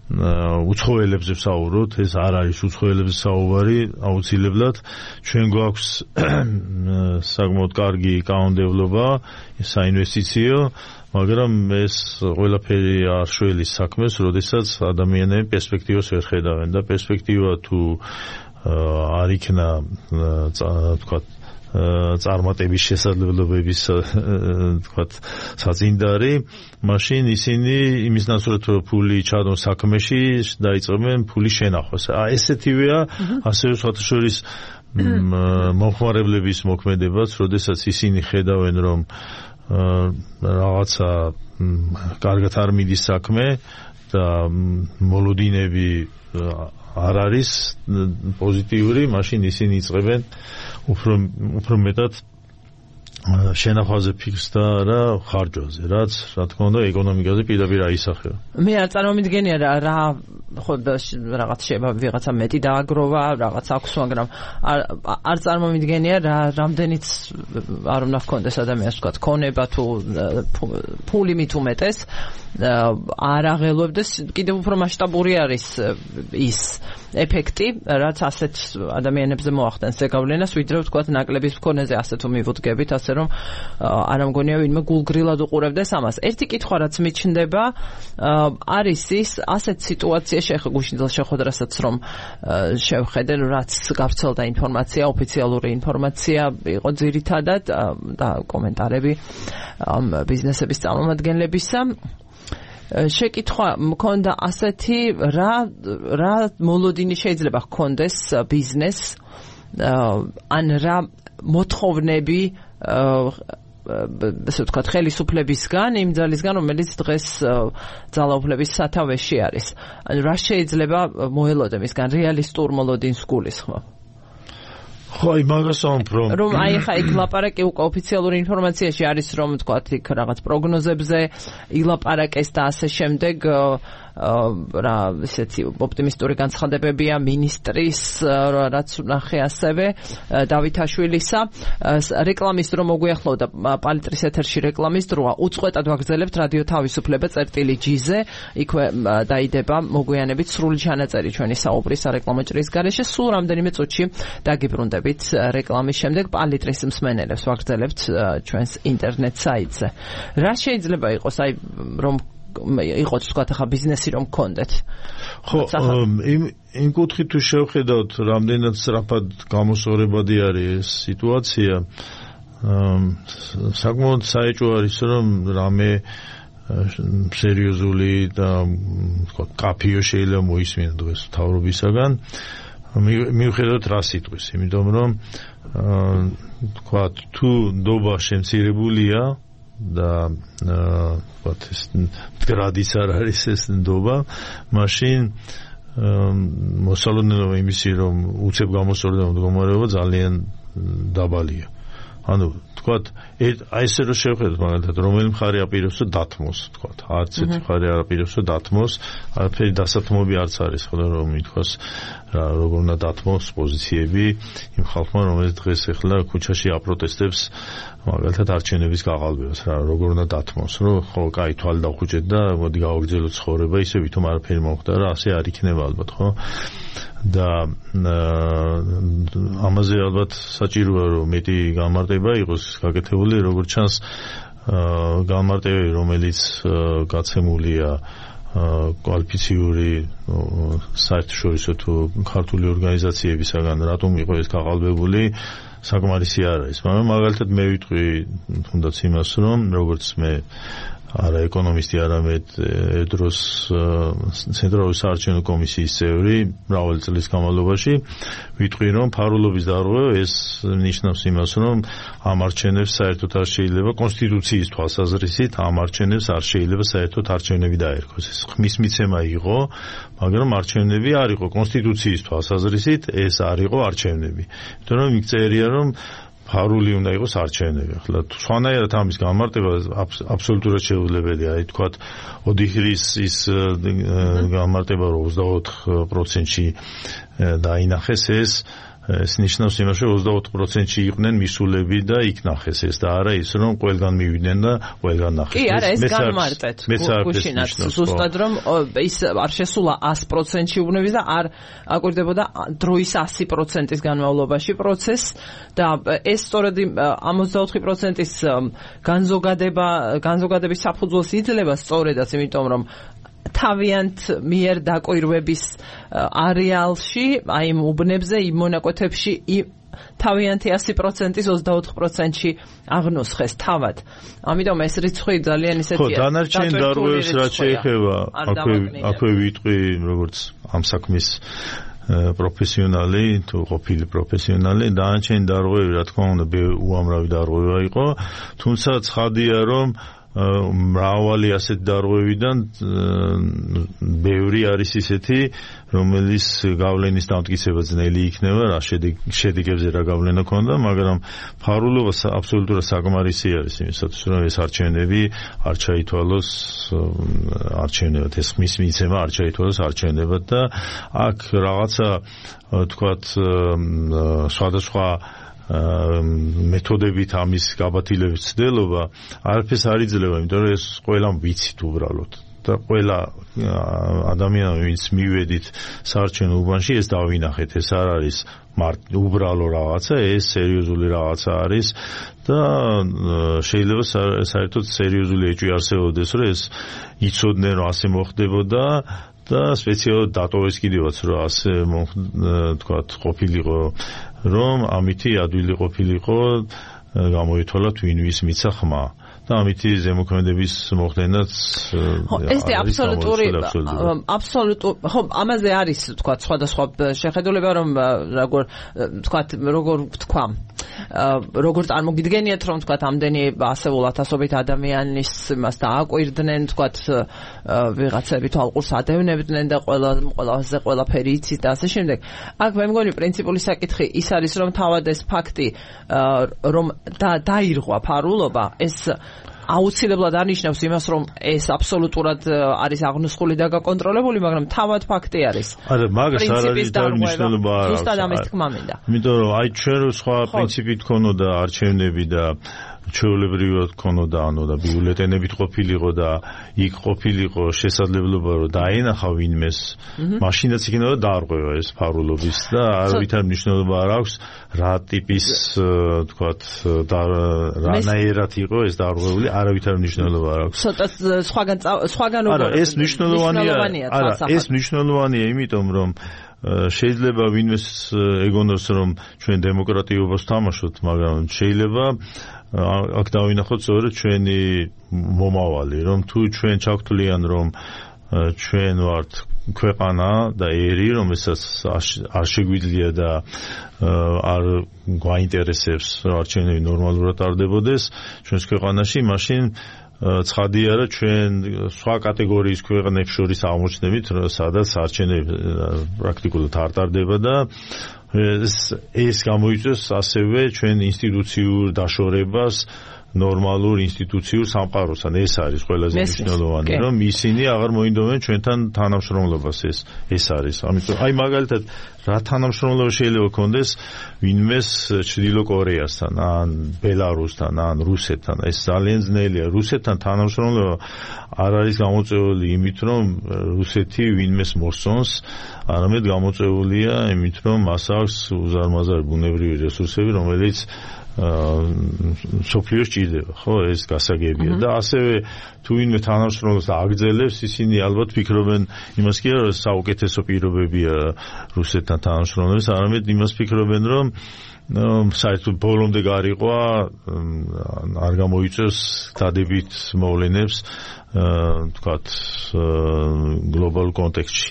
უცხოელებზე ვსაუბრობთ, ეს არ არის უცხოელებზე საუბარი, აუცილებლად ჩვენ გვაქვს საკმაოდ კარგი კანონმდებლობა საინვესტიციო, მაგრამ ეს ყველაფერი არ შველის საქმეს, როდესაც ადამიანები პერსპექტივას ვერ ხედავენ და პერსპექტივა თუ არ იქნა თქვათ წარმატების შესაძლებლობების თქვათ საწინდარი, მაშინ ისინი იმის ნაცვლად რომ ფული ჩადონ საქმეში, დაიწყებენ ფულის შენახვას. ესეთივეა ასევე სხვათაშორის მომხმარებლების მოქმედებაც, როდესაც ისინი ხედავენ რომ რაღაცა კარგად არ მიდის საქმე და მოლოდინები არ არის პოზიტიური, მაშინ ისინი იწყებენ უფრო მეტად შენახვაზე ფიქრს და რა ხარჯვაზე, რაც რა თქმა უნდა ეკონომიკაზე პირდაპირ აისახება. მე არ წარმომიდგენია რა ხოდ რაღაც შეიძლება ვიღაცა მეტი დააგროვა, რაღაც აქვს, მაგრამ არ წარმომიდგენია რამდენიც არ უნდა ჰქონდეს ადამიანს თქვა ქონება თუ ფული მით უმეტეს არ აღელვებდეს კიდევ უფრო მასშტაბური არის ის ეფექტი, რაც ასეთ ადამიანებზე მოახდენს ზეგავლენას, ვიდრე თქვა ნაკლების მქონეზე ასე თუ მივუდგებით, ასე რომ არ ამგონია ვინმე გულგრილად უყურებდეს ამას. ერთი კითხვა რაც მიჩნდება არის ის ასეთ სიტუაციაში ახლა გუშინ ძილ შეხვედრასაც რომ შევხედე, რაც გავრცელდა ინფორმაცია, ოფიციალური ინფორმაცია იყო ძირითადად და კომენტარები ბიზნესების წარმომადგენლებისა. შეკითხვა მქონდა ასეთი რა მოლოდინი შეიძლება ჰქონდეს ბიზნესს ან რა მოთხოვნები ასე ვთქვათ ხელისუფლებისგან იმ ძალისგან რომელიც დღეს ძალაუფლების სათავეში არის. ანუ რა შეიძლება მოელოდე მისგან რეალისტურ მოლოდინს გულისხმობ. ხო, იმას ამბობ, რომ აი ხა იქ ლაპარაკი უკვე ოფიციალური ინფორმაციაში არის რომ თქვათ იქ რაღაც პროგნოზებზე ილაპარაკეს და ასე შემდეგ რა ისეთი ოპტიმისტური განცხადებებია მინისტრის რაც ნახე ასევე დავითაშვილისა რეკლამის დრო მოგვიახლოვდა პალიტრის ეთერში რეკლამის დროა უწყვეტად ვაგრძელებთ რადიო თავისუფლება წერტილი ჯიზე იქვე დაიდება მოგვიანებით სრული ჩანაწერი ჩვენი საუბრის სარეკლამო ჭრის გარეშე სულ რამდენიმე წუთში დაგიბრუნდებით რეკლამის შემდეგ პალიტრის მსმენელებს ვაგრძელებთ ჩვენს ინტერნეტ საიტზე რა შეიძლება იყოს აი რომ იყოს თქვა ხა ბიზნესი რომ გქონდეთ. ხო, იმ კუთხით თუ შევხედავთ, რამდენად სწრაფად გამოსწორებადი არის ეს სიტუაცია, საკმაოდ საეჭვო არის რომ რამე სერიოზული და თქვა კაფიო შეიძლება მოისმინა დღეს მთავრობისაგან. მიუხედავად რა სიტყვის, იმიტომ რომ თქვა თუ ნდობა შემცირებულია და ვთქვათ ეს გრადის არ არის ეს ნდობა, მაშინ მოსალოდნელობა იმისი რომ უცებ გამოსწორდება მდგომარეობა ძალიან დაბალია. ანუ ვთქვათ აი ესე რომ შევხედოთ მაგალითად რომელი მხარე აპირებს და დათმოს ვთქვათ არც ერთი მხარე არ აპირებს და დათმოს არაფერი დასათმობი არც არის ხოლმე რომ ითქვას როგორ უნდა დათმოს პოზიციები იმ ხალხმა რომელიც დღეს ახლა ქუჩაში აპროტესტებს მაგალითად არჩევნების გაყალბებას რა როგორ უნდა დათმოს რომ ხო კაი თვალი დავხუჭეთ და მოდი გავაგრძელოთ ცხოვრება ისე ვითომ არაფერი მომხდა რა ასე არ იქნება ალბათ ხო და ამაზე ალბათ საჭიროა რომ მეტი გამარტება იყოს გაკეთებული როგორც ჩანს გამარტებები რომელიც გაცემულია კვალიფიციური საერთაშორისო თუ ქართული ორგანიზაციებისაგან რატომ იყო ეს გაყალბებული საკმარისი არ არის მაგრამ მაგალითად მე ვიტყვი თუნდაც იმას რომ როგორც მე არა ეკონომისტი არამედედროს ცენტრალური საარჩევნო კომისიის წევრი მრავალი წლის განმავლობაში ვიტყვი რომ ფარულობის დარღვევა ეს ნიშნავს იმას რომ ამ არჩევნებს საერთოდ არ შეიძლება კონსტიტუციის თვალსაზრისით ამ არჩევნებს არ შეიძლება საერთოდ არჩევნები დაერქვეს ეს ხმის მიცემა იყო მაგრამ არჩევნები არ იყო კონსტიტუციის თვალსაზრისით ეს არ იყო არჩევნები იმიტომ რომ იქ წერია რომ ფარული უნდა იყოს არჩევნები. ახლა სხვანაირად ამის გამარტება აბსოლუტურად შეუძლებელია. აი თქვათ ოდიხრის ის გამარტება 24%-ში დაინახეს ეს ნიშნავს იმას რომ 24%-ში იყვნენ მისულები და იქ ნახეს ეს და არა ის რომ ყველგან მივიდნენ და ყველგან ნახეს. კი, არა, ეს გამარტეთ. გუშინაც ზუსტად რომ ის არ შესულა 100%-ში უბნების და არ აკვირდებოდა დროის 100%-ის განმავლობაში პროცესს და ეს სწორედ 64%-ის განზოგადების საფუძველს იძლევა სწორედაც იმიტომ რომ თავიანთ მიერ დაკვირვების არეალში, აი იმ უბნებზე, იმ მონაკვეთებში თავიანთი 100%-ის 24%-ში აღნუსხეს თავად. ამიტომ ეს რიცხვი ძალიან ისეთია. ხო, დანარჩენ დარღვევებს რაც შეეხება, აქვე ვიტყვი როგორც ამ საქმის პროფესიონალი, თუ ყოფილი პროფესიონალი, დანარჩენ დარღვევები, რა თქმა უნდა, უამრავი დარღვევა იყო, თუმცა ცხადია, რომ მრავალი ასეთ დარღვევიდან ბევრი ბევრი არის ისეთი, რომელიც გავლენის დამტკიცება ძნელი იქნება, რა შედეგებზე რა გავლენა ქონდა, მაგრამ ფარულობა აბსოლუტურად საკმარისი არის იმისათვის, რომ ეს არჩევნები არ ჩაითვალოს არჩევნებად, ეს ხმის მიცემა არ ჩაითვალოს არჩევნებად და აქ რაღაცა თქვათ სხვადასხვა მეთოდებით ამის გაბათილების ცდელობა არაფერს არ იძლევა, იმიტომ რომ ეს ყველამ ვიცით უბრალოდ და ყველა ადამიანი ვინც მივედით საარჩევნო უბანში ეს დავინახეთ, ეს არ არის უბრალო რაღაცა, ეს სერიოზული რაღაცა არის და შეიძლება საერთოდ სერიოზული ეჭვი არსებობდეს, რომ ეს იცოდნენ რომ ასე მოხდებოდა და სპეციალურად დატოვეს კიდევაც რომ ასე თქვათ ყოფილიყო რომ ამითი ადვილი ყოფილიყო გამოითვალა ვინ ვის მიცა ხმა და ამითი ზემოქმედების მოხდენაც ეს აბსოლუტური ხო ამაზე არის თქვათ სხვადასხვა შეხედულება რომ როგორ თქვა როგორ წარმოგიდგენიათ რომ თქვათ ამდენი ასეულ ათასობით ადამიანის მას დააკვირდნენ თქვათ ვიღაცები თვალყურს ადევნებდნენ და ყველაზე ყველაფერი იცის და ასე შემდეგ აქ მე მგონი პრინციპული საკითხი ის არის რომ თავად ეს ფაქტი რომ დაირღვა ფარულობა ეს აუცილებლად არნიშნავს იმას, რომ ეს აბსოლუტურად არის აღნუსხული და გაკონტროლებული, მაგრამ თავად ფაქტი არის. არა, მაგას არ არის დანიშნულება არ აქვს. ზუსტად ამის თქმა მინდა. იმიტომ რომ აი ჩვენ სხვა პრინციპით ქონოდა არჩევნები და ჩვეულებრივად ქონოდა, ანუ და ბიულეტენებით ყოფილიყო და იქ ყოფილიყო შესაძლებლობა რომ დაენახა ვინმეს, მაშინაც იქნება დაარღვევა ეს ფარულობის და არავითარ მნიშვნელობა არ აქვს რა ტიპის თქვათ და რანაირად იყო ეს დაარღვეული, არავითარ მნიშვნელობა არ აქვს. ცოტა სხვაგან არა, ეს მნიშვნელოვანია. არა, ეს მნიშვნელოვანია, იმიტომ რომ შეიძლება ვინმეს ეგონოს რომ ჩვენ დემოკრატიობას თამაშობთ, მაგრამ შეიძლება აქ დავინახოთ სწორედ ჩვენი მომავალი, რომ თუ ჩვენ ჩავთვლიან რომ ჩვენ ვართ ქვეყანა და ერი, რომელსაც არ შეგვიძლია და არ გვაინტერესებს არჩევნები ნორმალურად ტარდებოდეს ჩვენს ქვეყანაში, მაშინ ცხადია რომ ჩვენ სხვა კატეგორიის ქვეყნებს შორის აღმოჩნდებით, სადაც არჩევნები პრაქტიკულად არ ტარდება და ეს გამოიწვევს ასევე ჩვენ ინსტიტუციურ დაშორებას ნორმალურ ინსტიტუციურ სამყაროსთან. ეს არის ყველაზე მნიშვნელოვანი, რომ ისინი აღარ მოინდომენ ჩვენთან თანამშრომლობას, ეს არის. ამიტომ აი მაგალითად რა თანამშრომლობა შეიძლება კონდეს ვინმეს ჩრდილო კორეასთან, ან ბელარუსთან, ან რუსეთთან. ეს ძალიან ძნელია. რუსეთთან თანამშრომლობა არ არის გამოწვეული იმით, რომ რუსეთი ვინმეს მოსწონს, არამედ გამოწვეულია იმით, რომ მას აქვს უზარმაზარი ბუნებრივი რესურსები, რომელიც სოფლიოს ჭირდება, ხო, ეს გასაგებია და ასევე თუ ვინმე თანამშრომლობს აგრძელებს, ისინი ალბათ ფიქრობენ იმას კი არა, რომ საუკეთესო პირობებია რუსეთთან თანამშრომლობის, არამედ იმას ფიქრობენ, რომ საერთოდ ბოლომდე გარიყვა არ გამოიწევს დადებით მოვლენებს თქვათ გლობალურ კონტექსტში.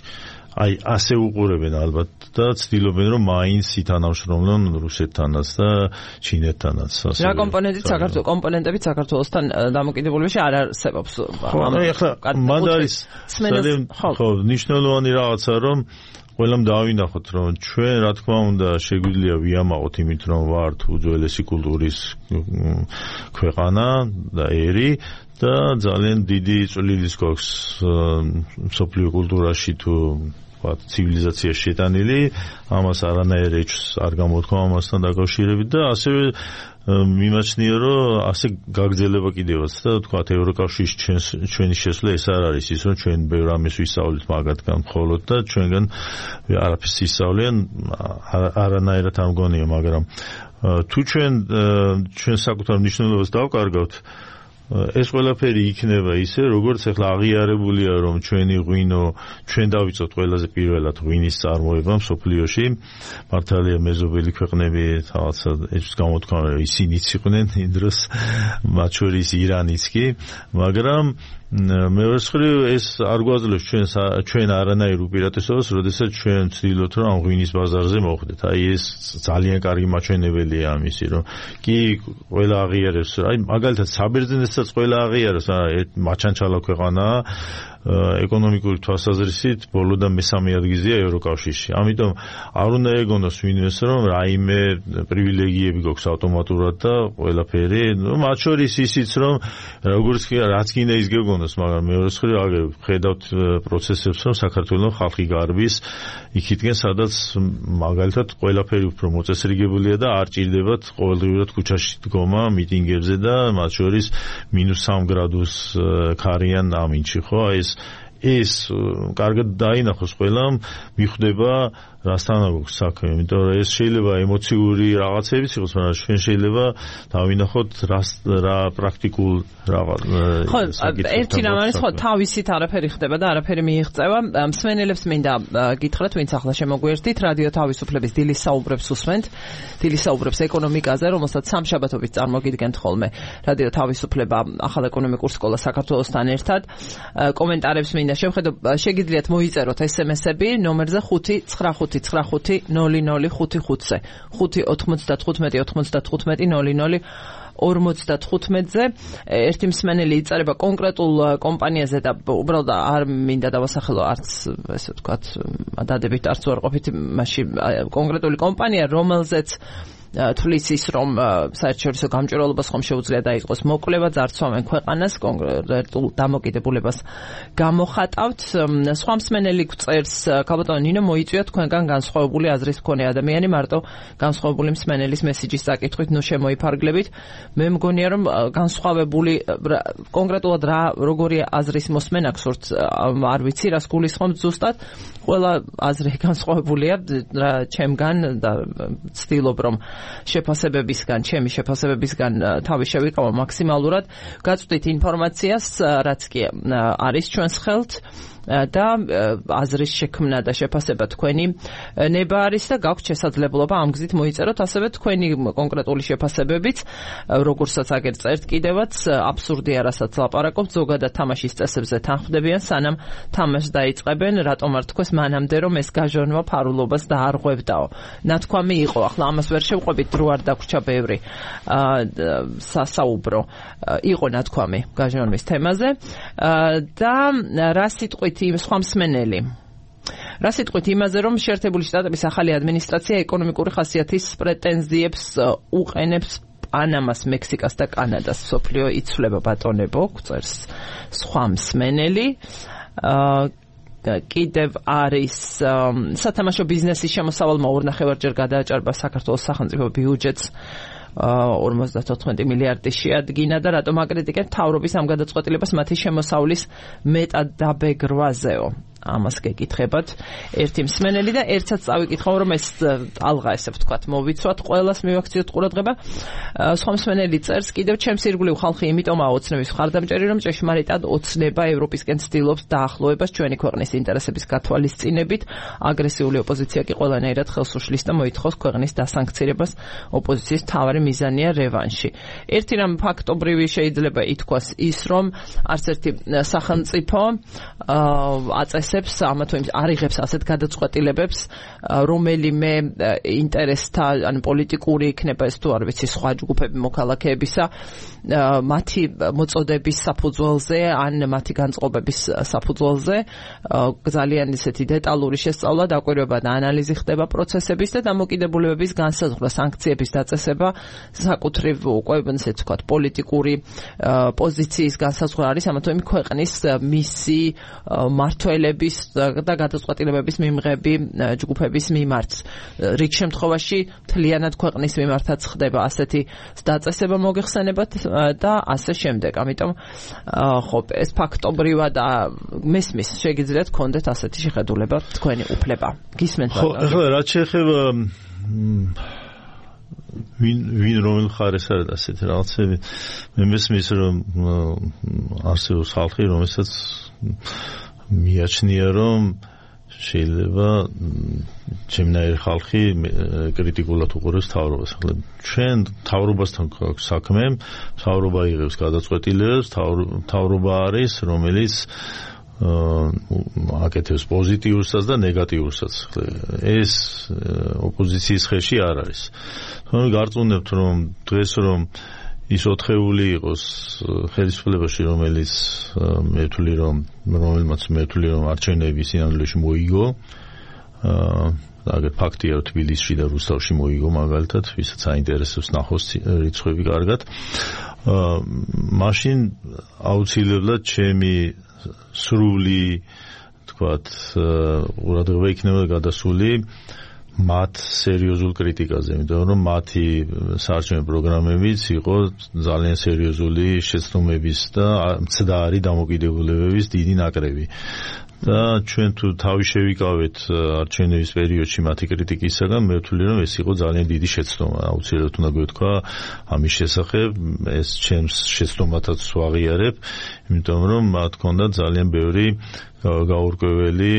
აი ასე უყურებენ ალბათ და ცდილობენ რომ მაინც ითანამშრომლონ რუსეთთანაც და ჩინეთთანაც. რა კომპონენტებით საქართველოსთან დამოკიდებულებაში არ არსებობს. ხო, ეხლა მანდ არის ხო ნიშნულოვანი რაღაცა რომ ყველამ დავინახოთ რომ ჩვენ რა თქმა უნდა შეგვიძლია ვიამაყოთ იმით რომ ვართ უძველესი კულტურის ქვეყანა და ერი და ძალიან დიდი წვლილი გვაქვს მსოფლიო კულტურაში თუ ცივილიზაციაში შეტანილი, ამას არანაირ ეჭვს არ გამოთქვა ამასთან დაკავშირებით და ასევე მიმაჩნია რომ ასე გაგრძელება კიდევაც და თქვათ ევროკავშირის ჩვენი შესვლა ეს არ არის ის რომ ჩვენ ბევრ ამას ვისწავლით მაგათგან მხოლოდ და ჩვენგან არაფერს ისწავლიან არანაირად არ მგონია, მაგრამ თუ ჩვენ საკუთარ მნიშვნელობას დავკარგავთ ეს ყველაფერი იქნება ისე, როგორც ახლა აღიარებულია, რომ ჩვენი ღვინო, ჩვენ დავიწყოთ ყველაზე პირველად ღვინის წარმოება მსოფლიოში. მართალია მეზობელი ქვეყნები რაღაცა ეს გამოთქვა, ისინიც იყვნენ იმ დროს, მათ შორის ირანიც კი, მაგრამ მეორე მხრივ ეს არ გვაძლევს ჩვენ არანაირ უპირატესობას, როდესაც ჩვენ ვცდილობთ რომ ამ ღვინის ბაზარზე მოხვდეთ. აი ეს ძალიან კარგი მაჩვენებელია ამისი, რომ კი ყველა აღიარებს, აი მაგალითად საბერძნეთსაც ყველა აღიარებს, მაჩანჩალა ქვეყანაა, ეკონომიკური თვალსაზრისით ბოლოდან მესამე ადგილზეა ევროკავშირში. ამიტომ არ უნდა ეგონოს ვინმეს რომ რაიმე პრივილეგიები გვაქვს ავტომატურად და ყველაფერი, მათ შორის ისიც რომ როგორც რაც კიდე ის გეგონოს, მაგრამ მეორე მხრივ ხედავთ პროცესებს რომ საქართველოს ხალხი გარბის იქითკენ სადაც მაგალითად ყველაფერი უფრო მოწესრიგებულია და არ ჭირდებათ ყოველდღიურად ქუჩაში დგომა მიტინგებზე და მათ შორის -3 გრადუს ქარიან ამინჩი, ხო? ეს კარგად დაინახოს ყველამ, მიხვდება რასთან აქვს საქმე, იმიტომ რომ ეს შეიძლება ემოციური რაღაცებიც იყოს, მაგრამ ჩვენ შეიძლება დავინახოთ რა პრაქტიკულ რაღაც. ხო, ერთი რამ არის, ხო, თავისით არაფერი ხდება და არაფერი მიიღწევა. მსმენელებს მინდა გითხრათ, ვინც ახლა შემოგვიერთდით, რადიო თავისუფლების დილის საუბრებს უსმენთ. დილის საუბრებს ეკონომიკაზე, რომელსაც სამშაბათობით წარმოგიდგენთ ხოლმე. რადიო თავისუფლება ახალ ეკონომიკურ სკოლა საქართველოსთან ერთად. კომენტარებს მინდა შევხედო, შეგიძლიათ მოიწეროთ SMS-ები ნომერზე 595 95 0055-ზე 595-95-00-55-ზე. ერთი მსმენელი იწერება კონკრეტულ კომპანიაზე და უბრალოდ არ მინდა დავასახელო არც ესე ვთქვათ დადებით არც უარყოფით მასში კონკრეტული კომპანია, რომელზეც თulis ის რომ საერთაშორისო გამჭვირვალობას ხომ შეუძლია დაიწყოს მოკვლევა, ძარცვავენ ქვეყანას, კონკრეტულ დამოკიდებულებას გამოხატავთ. სხვა მსმენელი გვწერს, ქალბატონო ნინო, მოიწვია თქვენგან განსხვავებული აზრის მქონე ადამიანი მარტო განსხვავებული მსმენელის მესიჯის საკითხვით, ნუ შემოიფარგლებით. მე მგონია რომ განსხვავებული კონკრეტულად როგორი აზრის მოსმენა გსურთ, არ ვიცი რას გულისხმობთ ზუსტად. ყველა აზრი განსხვავებულია ჩემგან და ვცდილობ რომ ჩემი შეფასებებისგან თავი შევიკავო მაქსიმალურად. გაწვდით ინფორმაციას, რაც კი არის ჩვენს ხელთ და აზრის შექმნა და შეფასება თქვენი ნება არის და გაქვთ შესაძლებლობა ამ გზით მოიწეროთ ასევე თქვენი კონკრეტული შეფასებებიც, როგორცაც აგერ წერთ კიდევაც, აბსურდია რასაც ლაპარაკობთ, ზოგადად თამაშის წესებზე თანხმდებიან, სანამ თამაშს დაიწყებენ, რატომ არ თქვეს მანამდე რომ ეს გაჟონვა ფარულობას დაარღვევდაო. ნათქვამი იყო, ახლა ამას ვერ შევყვებით, დრო არ დაგვრჩა ბევრი სასაუბრო, იყო ნათქვამი გაჟონვის თემაზე და რა სიტყვით სხვა მსმენელი. რა სიტყვით იმაზე, რომ შეერთებული შტატების ახალი ადმინისტრაცია ეკონომიკური ხასიათის პრეტენზიებს უყენებს პანამას, მექსიკას და კანადას. სოფლიო იცვლება ბატონებო, წერს სხვა მსმენელი. კიდევ არის სათამაშო ბიზნესის შემოსავალმა 2.5-ჯერ გადააჭარბა საქართველოს სახელმწიფო ბიუჯეტს 54 მილიარდი შეადგინა და რატომ აკრიტიკებთ მთავრობის ამ გადაწყვეტილებას მათი შემოსავლის მეტად დაბეგრვაზეო. ამას გეკითხებათ ერთი მსმენელი და ერთსაც წავიკითხავ რომ ეს ალღა ესე ვთქვათ მოვიცვათ, ყველას მივაქციოთ ყურადღება. სხვა მსმენელი წერს, კიდევ ჩემს ირგვლივ ხალხი იმიტომაა ოცნების მხარდამჭერი, რომ ჭეშმარიტად ოცნება ევროპისკენ ცდილობს დაახლოებას ჩვენი ქვეყნის ინტერესების გათვალისწინებით. აგრესიული ოპოზიცია კი ყველანაირად ხელს უშლის და მოითხოვს ქვეყნის დასანქცირებას. ოპოზიციის მთავარი მიზანია რევანში. ერთი რამ ფაქტობრივი შეიძლება ითქვას ის, რომ არც ერთი სახელმწიფო აწესებს ამა თუ იმ არიღებს ასეთ გადაწყვეტილებებს, რომელიმე ინტერესთა, ან პოლიტიკური იქნება ეს თუ არ ვიცი, სხვა ჯგუფები მოქალაქეებისა, მათი მოწოდების საფუძველზე, ან მათი განწყობების საფუძველზე. ძალიან ისეთი დეტალური შესწავლა, დაკვირვება და ანალიზი ხდება პროცესების და დამოკიდებულებების განსაზღვრა, სანქციების დაწესება, საკუთრივ უკვე ესე ვთქვათ, პოლიტიკური პოზიციის განსაზღვრა არის ამა თუ იმ ქვეყნის მისი მართველების და გადაწყვეტილებების მიმღები ჯგუფების მიმართ. რიგ შემთხვევაში მთლიანად ქვეყნის მიმართაც ხდება ასეთი დაწესება, მოგეხსენებათ და ასე შემდეგ. ამიტომ ხო, ეს ფაქტობრივად მესმის, შეგიძლიათ გქონდეთ ასეთი შეხედულება, თქვენი უფლება. გისმენთ? ხო, ახლა რაც შეეხება ვინ რომელ მხარეს არის ასეთი რაღაცები, მე მესმის რომ არსებობს ხალხი, რომელსაც მიაჩნია რომ შეიძლება ჩემნაირი ხალხი კრიტიკულად უყურებს მთავრობას. ახლა ჩვენ მთავრობასთან გვაქვს საქმე, მთავრობა იღებს გადაწყვეტილებებს, მთავრობა არის რომელიც აკეთებს პოზიტიურსაც და ნეგატიურსაც. ეს ოპოზიციის ხელში არ არის. თუმცა გარწმუნებთ რომ დღეს რომ ის ოთხეული იყოს ხელისუფლებაში, რომელმაც მე ვთვლი რომ არჩევნები სინამდვილეში მოიგო. აგერ ფაქტია, რომ თბილისში და რუსთავში მოიგო მაგალითად, ვისაც აინტერესებს ნახოს რიცხვები კარგად. მაშინ აუცილებლად ჩემი სრული თქვათ ყურადღება იქნება გადასული მათ სერიოზულ კრიტიკაზე, იმიტომ რომ მათი საარჩევნო პროგრამებიც იყო ძალიან სერიოზული შეცდომების და მცდარი დამოკიდებულებების დიდი ნაკრები. და ჩვენ თუ თავი შევიკავეთ არჩევნების პერიოდში მათი კრიტიკისაგან, მე ვთვლი რომ ეს იყო ძალიან დიდი შეცდომა. აუცილებლად უნდა გვეთქვა ამის შესახებ, ეს ჩემს შეცდომათაც ვაღიარებ, იმიტომ რომ მათ ჰქონდათ ძალიან ბევრი გაურკვეველი,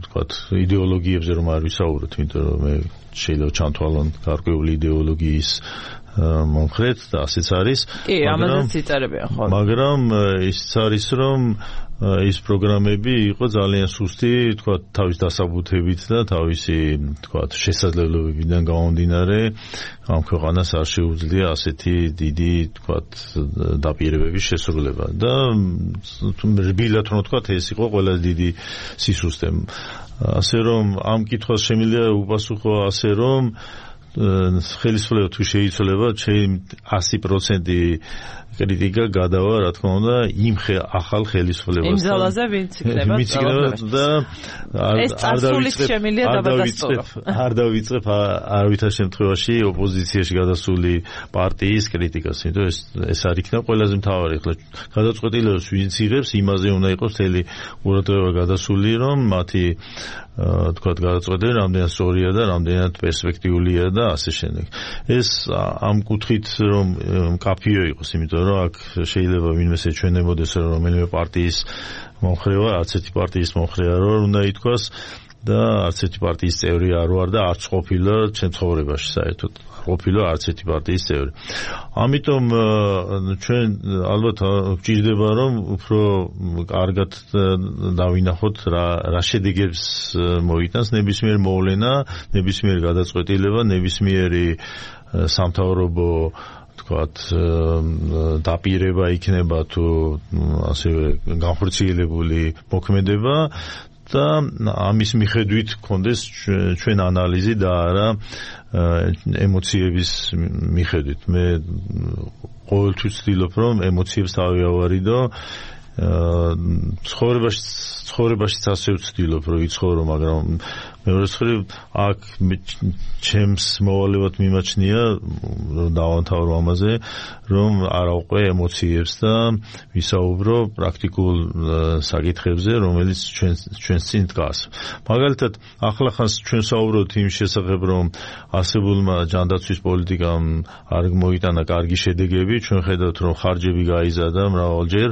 თქვათ, იდეოლოგიებზე რომ არ ვისაუბროთ, იმიტომ რომ მე შეიძლება ჩამთვალონ გარკვეული იდეოლოგიის მომხრედ და ასეც არის. კი, ამაზეც იწერებია ხოლმე. მაგრამ ისიც არის, რომ ის პროგრამები იყო ძალიან სუსტი, თქვათ, თავის დასაბუთებით და თავისი, თქვათ, შესაძლებლობებიდან გამომდინარე, ამ ქვეყანას არ შეუძლია ასეთი დიდი, თქვათ, დაპირებების შესრულება. და რბილად რომ ვთქვათ, ეს იყო ყველაზე დიდი სისუსტე. ასე რომ ამ კითხვას შემიძლია უპასუხო ასე რომ ხელისუფლება თუ შეიცვლება, ჩემი 100% კრიტიკა გადავა, რა თქმა უნდა, იმ ახალ ხელისუფლებას. იმ ძალაზე ვინც იქნება და არ დავიწყებ არავითარ შემთხვევაში ოპოზიციაში გადასული პარტიის კრიტიკას, იმიტომ ეს არ იქნება ყველაზე მთავარი. ახლა გადაწყვეტილებას ვინც იღებს, იმაზე უნდა იყოს მთელი ყურადღება გადასული, რომ მათი თქვათ გადაწყვეტილება რამდენად სწორია და რამდენად პერსპექტიულია და ასე შემდეგ. ეს ამ კუთხით რომ მკაფიო იყოს, იმიტომ რომ აქ შეიძლება ვინმეს ეჩვენებოდეს რომ რომელიმე პარტიის მომხრეა, არც ერთი პარტიის მომხრე არ ვარ, უნდა ითქვას და არც ერთი პარტიის წევრი არ ვარ და არც ყოფილა ჩემ ცხოვრებაში საერთოდ. ყოფილა არც ერთი პარტიის წევრი. ამიტომ ჩვენ ალბათ გვჭირდება რომ უფრო კარგად დავინახოთ რა შედეგებს მოიტანს ნებისმიერ მოვლენა, ნებისმიერ გადაწყვეტილება, ნებისმიერი სამთავრობო თქვათ დაპირება იქნება თუ ასევე განხორციელებული მოქმედება და ამის მიხედვით გქონდეს ჩვენ ანალიზი და არა ემოციების მიხედვით. მე ყოველთვის ვცდილობ რომ ემოციებს თავი ავარიდო. ცხოვრებაშიც ასე ვცდილობ რომ ვიცხოვრო, მაგრამ მეორე მხრივ აქ ჩემს მოვალეობად მიმაჩნია რომ დავამთავრო ამაზე, რომ არ ავყვე ემოციებს და ვისაუბრო პრაქტიკულ საკითხებზე, რომელიც ჩვენს წინ დგას. მაგალითად, ახლახანს ჩვენ საუბრობთ იმ შესახებ, რომ არსებულმა ჯანდაცვის პოლიტიკამ არ მოიტანა კარგი შედეგები, ჩვენ ხედავთ, რომ ხარჯები გაიზარდა მრავალჯერ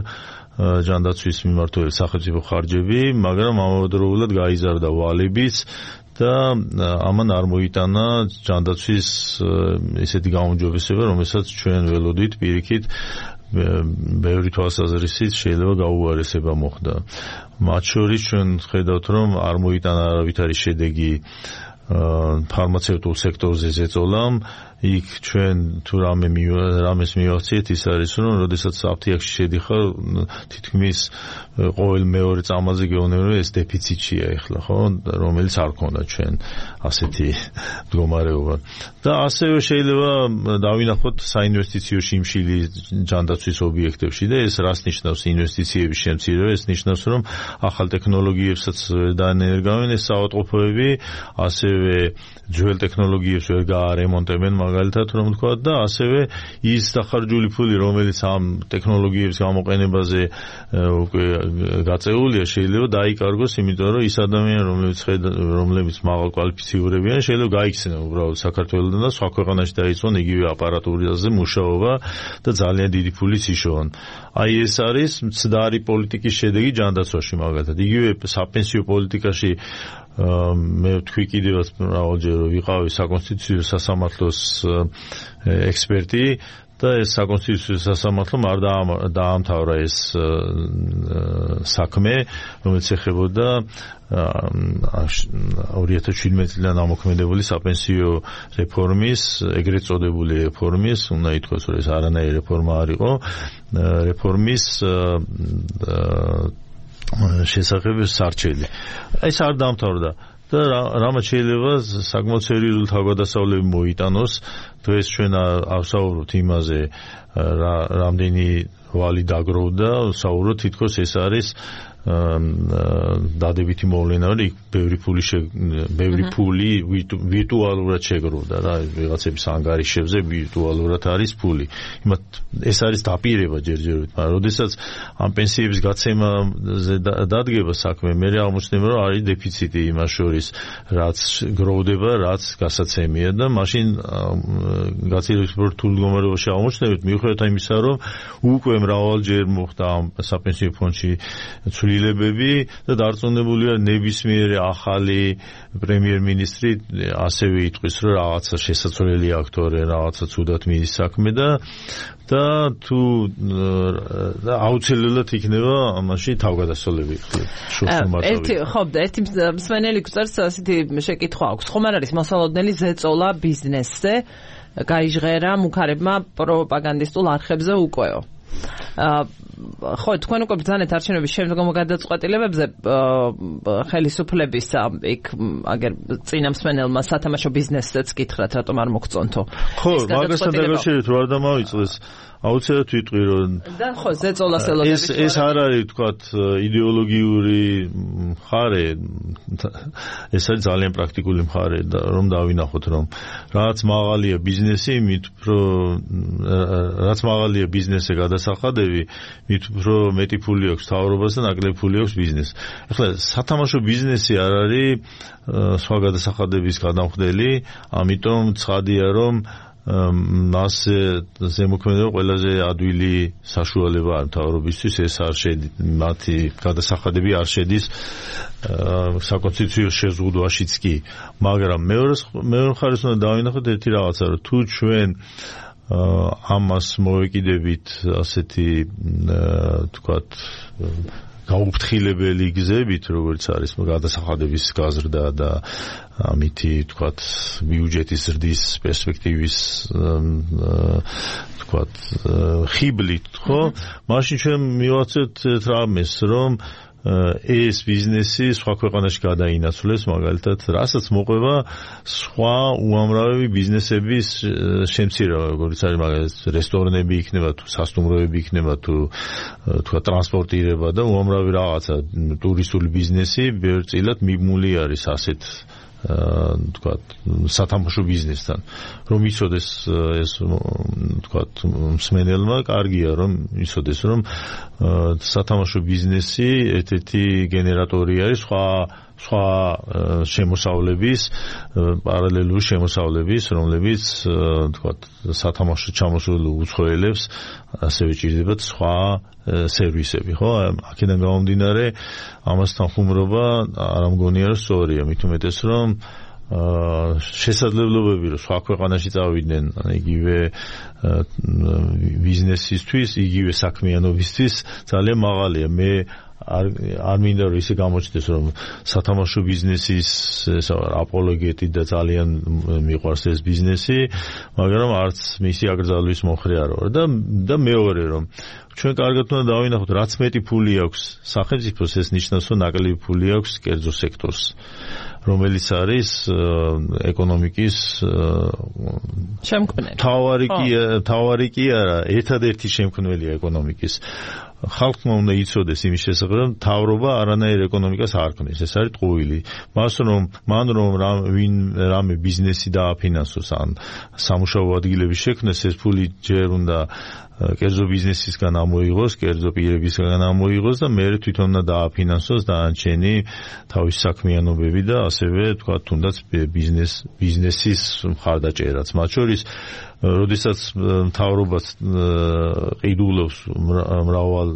ჯანდაცვის მიმართულებით სახელმწიფო ხარჯები, მაგრამ ამავდროულად გაიზარდა ვალებიც და ამან არ მოიტანა ჯანდაცვის ესეთი გაუმჯობესება, რომელსაც ჩვენ ველოდით პირიქით ბევრი თვალსაზრისით შეიძლება გაუარესება მოხდა. მათ შორის ჩვენ ხედავთ, რომ არ მოიტანა არავითარი შედეგი ფარმაცევტულ სექტორზე ზეწოლამ. იქ ჩვენ თუ რამეს მივახციეთ, ის არის რომ როდესაც აფთიაქში შედიხარ, თითქმის ყოველ მეორე წამაზე გეუბნები რომ ეს დეფიციტია ეხლა, ხო, რომელიც არ ქონდა ჩვენ ასეთი მდგომარეობა. და ასევე შეიძლება დავინახოთ საინვესტიციო შიმშილი ჯანდაცვის ობიექტებში და ეს რას ნიშნავს ინვესტიციების შემცირება? ეს ნიშნავს რომ ახალ ტექნოლოგიებსაც დაენერგავენ ეს საავადმყოფოები, ასევე ძველ ტექნოლოგიებს ვერ გაარემონტებენ მაგალითად რომ ვთქვა და ასევე ის დახარჯული ფული, რომელიც ამ ტექნოლოგიების გამოყენებაზე უკვე გაწეულია, შეიძლება დაიკარგოს, იმიტომ რომ ის ადამიანები, რომლებიც მაღალკვალიფიცირებიან, შეიძლება გაიქცნენ უბრალოდ საქართველოსთან და სხვა ქვეყანაში დაიწყონ იგივე აპარატურაზე მუშაობა და ძალიან დიდი ფულიც იშოვონ. აი ეს არის მცდარი პოლიტიკის შედეგი ჯანდაცვაში მაგალითად. იგივე საპენსიო პოლიტიკაში მე ვთქვი კიდევაც მრავალჯერ რომ ვიყავი საკონსტიტუციო სასამართლოს ექსპერტი და ეს საკონსტიტუციო სასამართლომ არ დაამთავრა ეს საქმე, რომელიც ეხებოდა 2017 წლიდან ამოქმედებული საპენსიო რეფორმის, ეგრეთ წოდებული რეფორმის, უნდა ითქვას, რომ ეს არანაირი რეფორმა არ იყო, რეფორმის შესახებ სარჩელი. ეს არ დაამთავრდა. და რამაც შეიძლება საკმაოდ სერიოზული თავგადასავლები მოიტანოს. დღეს ჩვენ ავსაუბრობთ იმაზე, რამდენი ვალი დაგროვდა, საუბრობთ თითქოს ეს არის დადებითი მოვლენა, რომ ბევრი ფული ვირტუალურად შეგროვდა რა, ვიღაცების ანგარიშებზე ვირტუალურად არის ფული. ეს არის დაპირება ჯერჯერობით, მაგრამ როდესაც ამ პენსიების გაცემაზე დადგება საქმე, მე აღმოჩნდება, რომ არის დეფიციტი იმას შორის, რაც გროვდება, რაც გასაცემია და მაშინ გაცილებით რთულ მდგომარეობაში აღმოჩნდებით, მიუხედავად იმისა, რომ უკვე მრავალჯერ მოხდა ამ საპენსიო ფონდში ცვლილებები და დარწმუნებულია ნებისმიერი ახალი პრემიერ-მინისტრი ასევე იტყვის, რომ რაღაცა შესაძლებელი აქვს თორე რაღაცა ცუდად მიდის საქმე და თუ აუცილებლად იქნება ამაში თავგადასავლები ერთი მსმენელი გვწერს ასეთი შეკითხვა აქვს, ხომ არ არის მოსალოდნელი ზეწოლა ბიზნესზე გაიჟღერა მუქარებმა პროპაგანდისტულ არხებზე უკვეო. ხო, თქვენ უკვე ბრძანეთ არჩევნების შემდგომ გადაწყვეტილებებზე ხელისუფლების იქ აგერ წინა მსმენელმა სათამაშო ბიზნესზეც კითხრათ, რატომ არ მოგწონთო. ხო, მაგასთან დაკავშირებით რა დამავიწყდეს. აუცილებლად ვიტყვი, რომ და ხო, ზეწოლას ელოდებით. ეს არ არის, თქვათ, იდეოლოგიური მხარე, ეს არის ძალიან პრაქტიკული მხარე, რომ დავინახოთ, რომ რაც მაღალია ბიზნესი, მით უფრო რაც მაღალია ბიზნესზე გადასახადები, მით უფრო მეტი ფული აქვს მთავრობას და ნაკლები ფული აქვს ბიზნესს. ახლა სათამაშო ბიზნესი არ არის სხვა გადასახადების გადამხდელი, ამიტომ ცხადია, რომ მას ზემოქმედება ყველაზე ადვილი საშუალება არ მთავრობისთვის, ეს არ შედის, მათი გადასახადები არ შედის საკონსტიტუციო შეზღუდვაშიც კი, მაგრამ მეორე მხარეს უნდა დავინახოთ ერთი რაღაცა, რომ თუ ჩვენ ამას მოვეკიდებით ასეთი თქვათ გაუფრთხილებელი გზებით, როგორც არის გადასახადების გაზრდა და ამითი თქვათ ბიუჯეტის ზრდის პერსპექტივის თქვათ ხიბლით, ხო? მაშინ ჩვენ მივაცეთ რამეს, რომ ეს ბიზნესი სხვა ქვეყანაში გადაინაცვლეს, მაგალითად, რასაც მოყვება სხვა უამრავი ბიზნესების შემცირება, როგორც არის მაგალითად რესტორნები იქნება, თუ სასტუმროები იქნება, თუ თქვა ტრანსპორტირება და უამრავი რაღაცა ტურისტული ბიზნესი ბევრწილად მიბმული არის ასეთ თქვა სათამაშო ბიზნესთან. რომ იცოდეს ეს თქვა მსმენელმა, კარგია რომ იცოდეს, რომ სათამაშო ბიზნესი ერთ-ერთი გენერატორი არის სხვა შემოსავლების, პარალელური შემოსავლების, რომლებიც თქვა სათამაშო ჩამოსულ უცხოელებს ასევე ჭირდებათ სხვა სერვისები, ხო? აქედან გამომდინარე, ამასთან ხუმრობა არ მგონია რომ სწორია, მით უმეტეს რომ შესაძლებლობები რომ სხვა ქვეყანაში წავიდნენ იგივე ბიზნესისთვის, იგივე საქმიანობისთვის ძალიან მაღალია. მე არ მინდა რომ ისე გამოჩნდეს, რომ სათამაშო ბიზნესის აპოლოგეტი და ძალიან მიყვარს ეს ბიზნესი, მაგრამ არც მისი აკრძალვის მომხრე არ ვარ და მეორე რომ ჩვენ კარგად უნდა დავინახოთ, რაც მეტი ფული აქვს სახელმწიფოს, ეს ნიშნავს, რომ ნაკლები ფული აქვს კერძო სექტორს, რომელიც არის ეკონომიკის შემქმნელი. თავარი კი არა, ერთადერთი შემქმნელია ეკონომიკის. ხალხმა უნდა იცოდეს იმის შესახებ, რომ მთავრობა არანაირ ეკონომიკას არ ქმნის, ეს არის ტყუილი. მან რომ რამე ბიზნესი დააფინანსოს ან სამუშაო ადგილების შექმნას, ეს ფული ჯერ უნდა კერძო ბიზნესისგან ამოიღოს, კერძო პირებისგან ამოიღოს და მე თვითონ უნდა დააფინანსოს დანარჩენი თავის საქმიანობები და ასევე თქვა თუნდაც ბიზნესის მხარდაჭერაც. მათ შორის როდესაც მთავრობას ყიდულობს მრავალ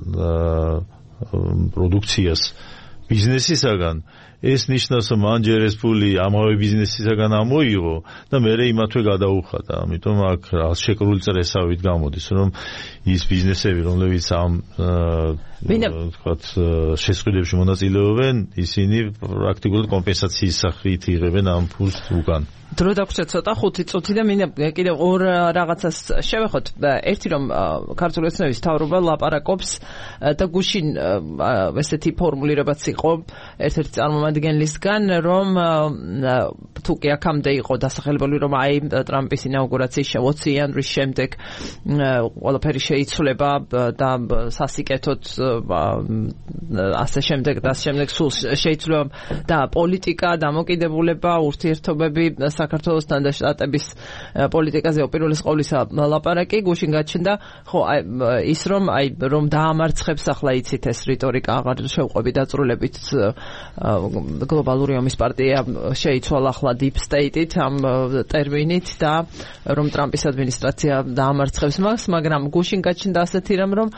პროდუქციას ბიზნესისაგან, ეს ნიშნავს რომ მან ჯერ ეს ფული ამავე ბიზნესისაგან ამოიღო და მერე იმათვე გადაუხადა. ამიტომ აქ შეკრული წრესავით გამოდის რომ ის ბიზნესები რომლებიც ამ ვთქვათ შესყიდვებში მონაწილეობენ ისინი პრაქტიკულად კომპენსაციის სახით იღებენ ამ ფულს უკან. დრო დაგვჭირდა ცოტა 5 წუთი და მინდა კიდევ ორ რაღაცას შევეხოთ. ერთი რომ ქართული ოცნების მთავრობა ლაპარაკობს და გუშინ ესეთი ფორმულირებაც იყო ერთ-ერთი წარმომადგენლისგან რომ თუ კი აქამდე იყო დასახელებული რომ აი ტრამპის ინაუგურაციის 20 იანვრის შემდეგ ყველაფერი შეიცვლება და სასიკეთოდ ასე შემდეგ და შემდეგ სულ შეიცვლება და პოლიტიკა, დამოკიდებულება, ურთიერთობები საქართველოსთან და შტატების პოლიტიკაზე უპირველეს ყოვლისა ლაპარაკი გუშინ გაჩნდა ხო ის რომ დაამარცხებს ახლა იცით ეს რიტორიკა აღარ შევყვები დაწრულებით გლობალური ომის პარტია შეიცვალა ახლა deep state-ით ამ ტერმინით და რომ ტრამპის ადმინისტრაცია დაამარცხებს მას, მაგრამ გუშინ გაჩნდა ასეთი რამ რომ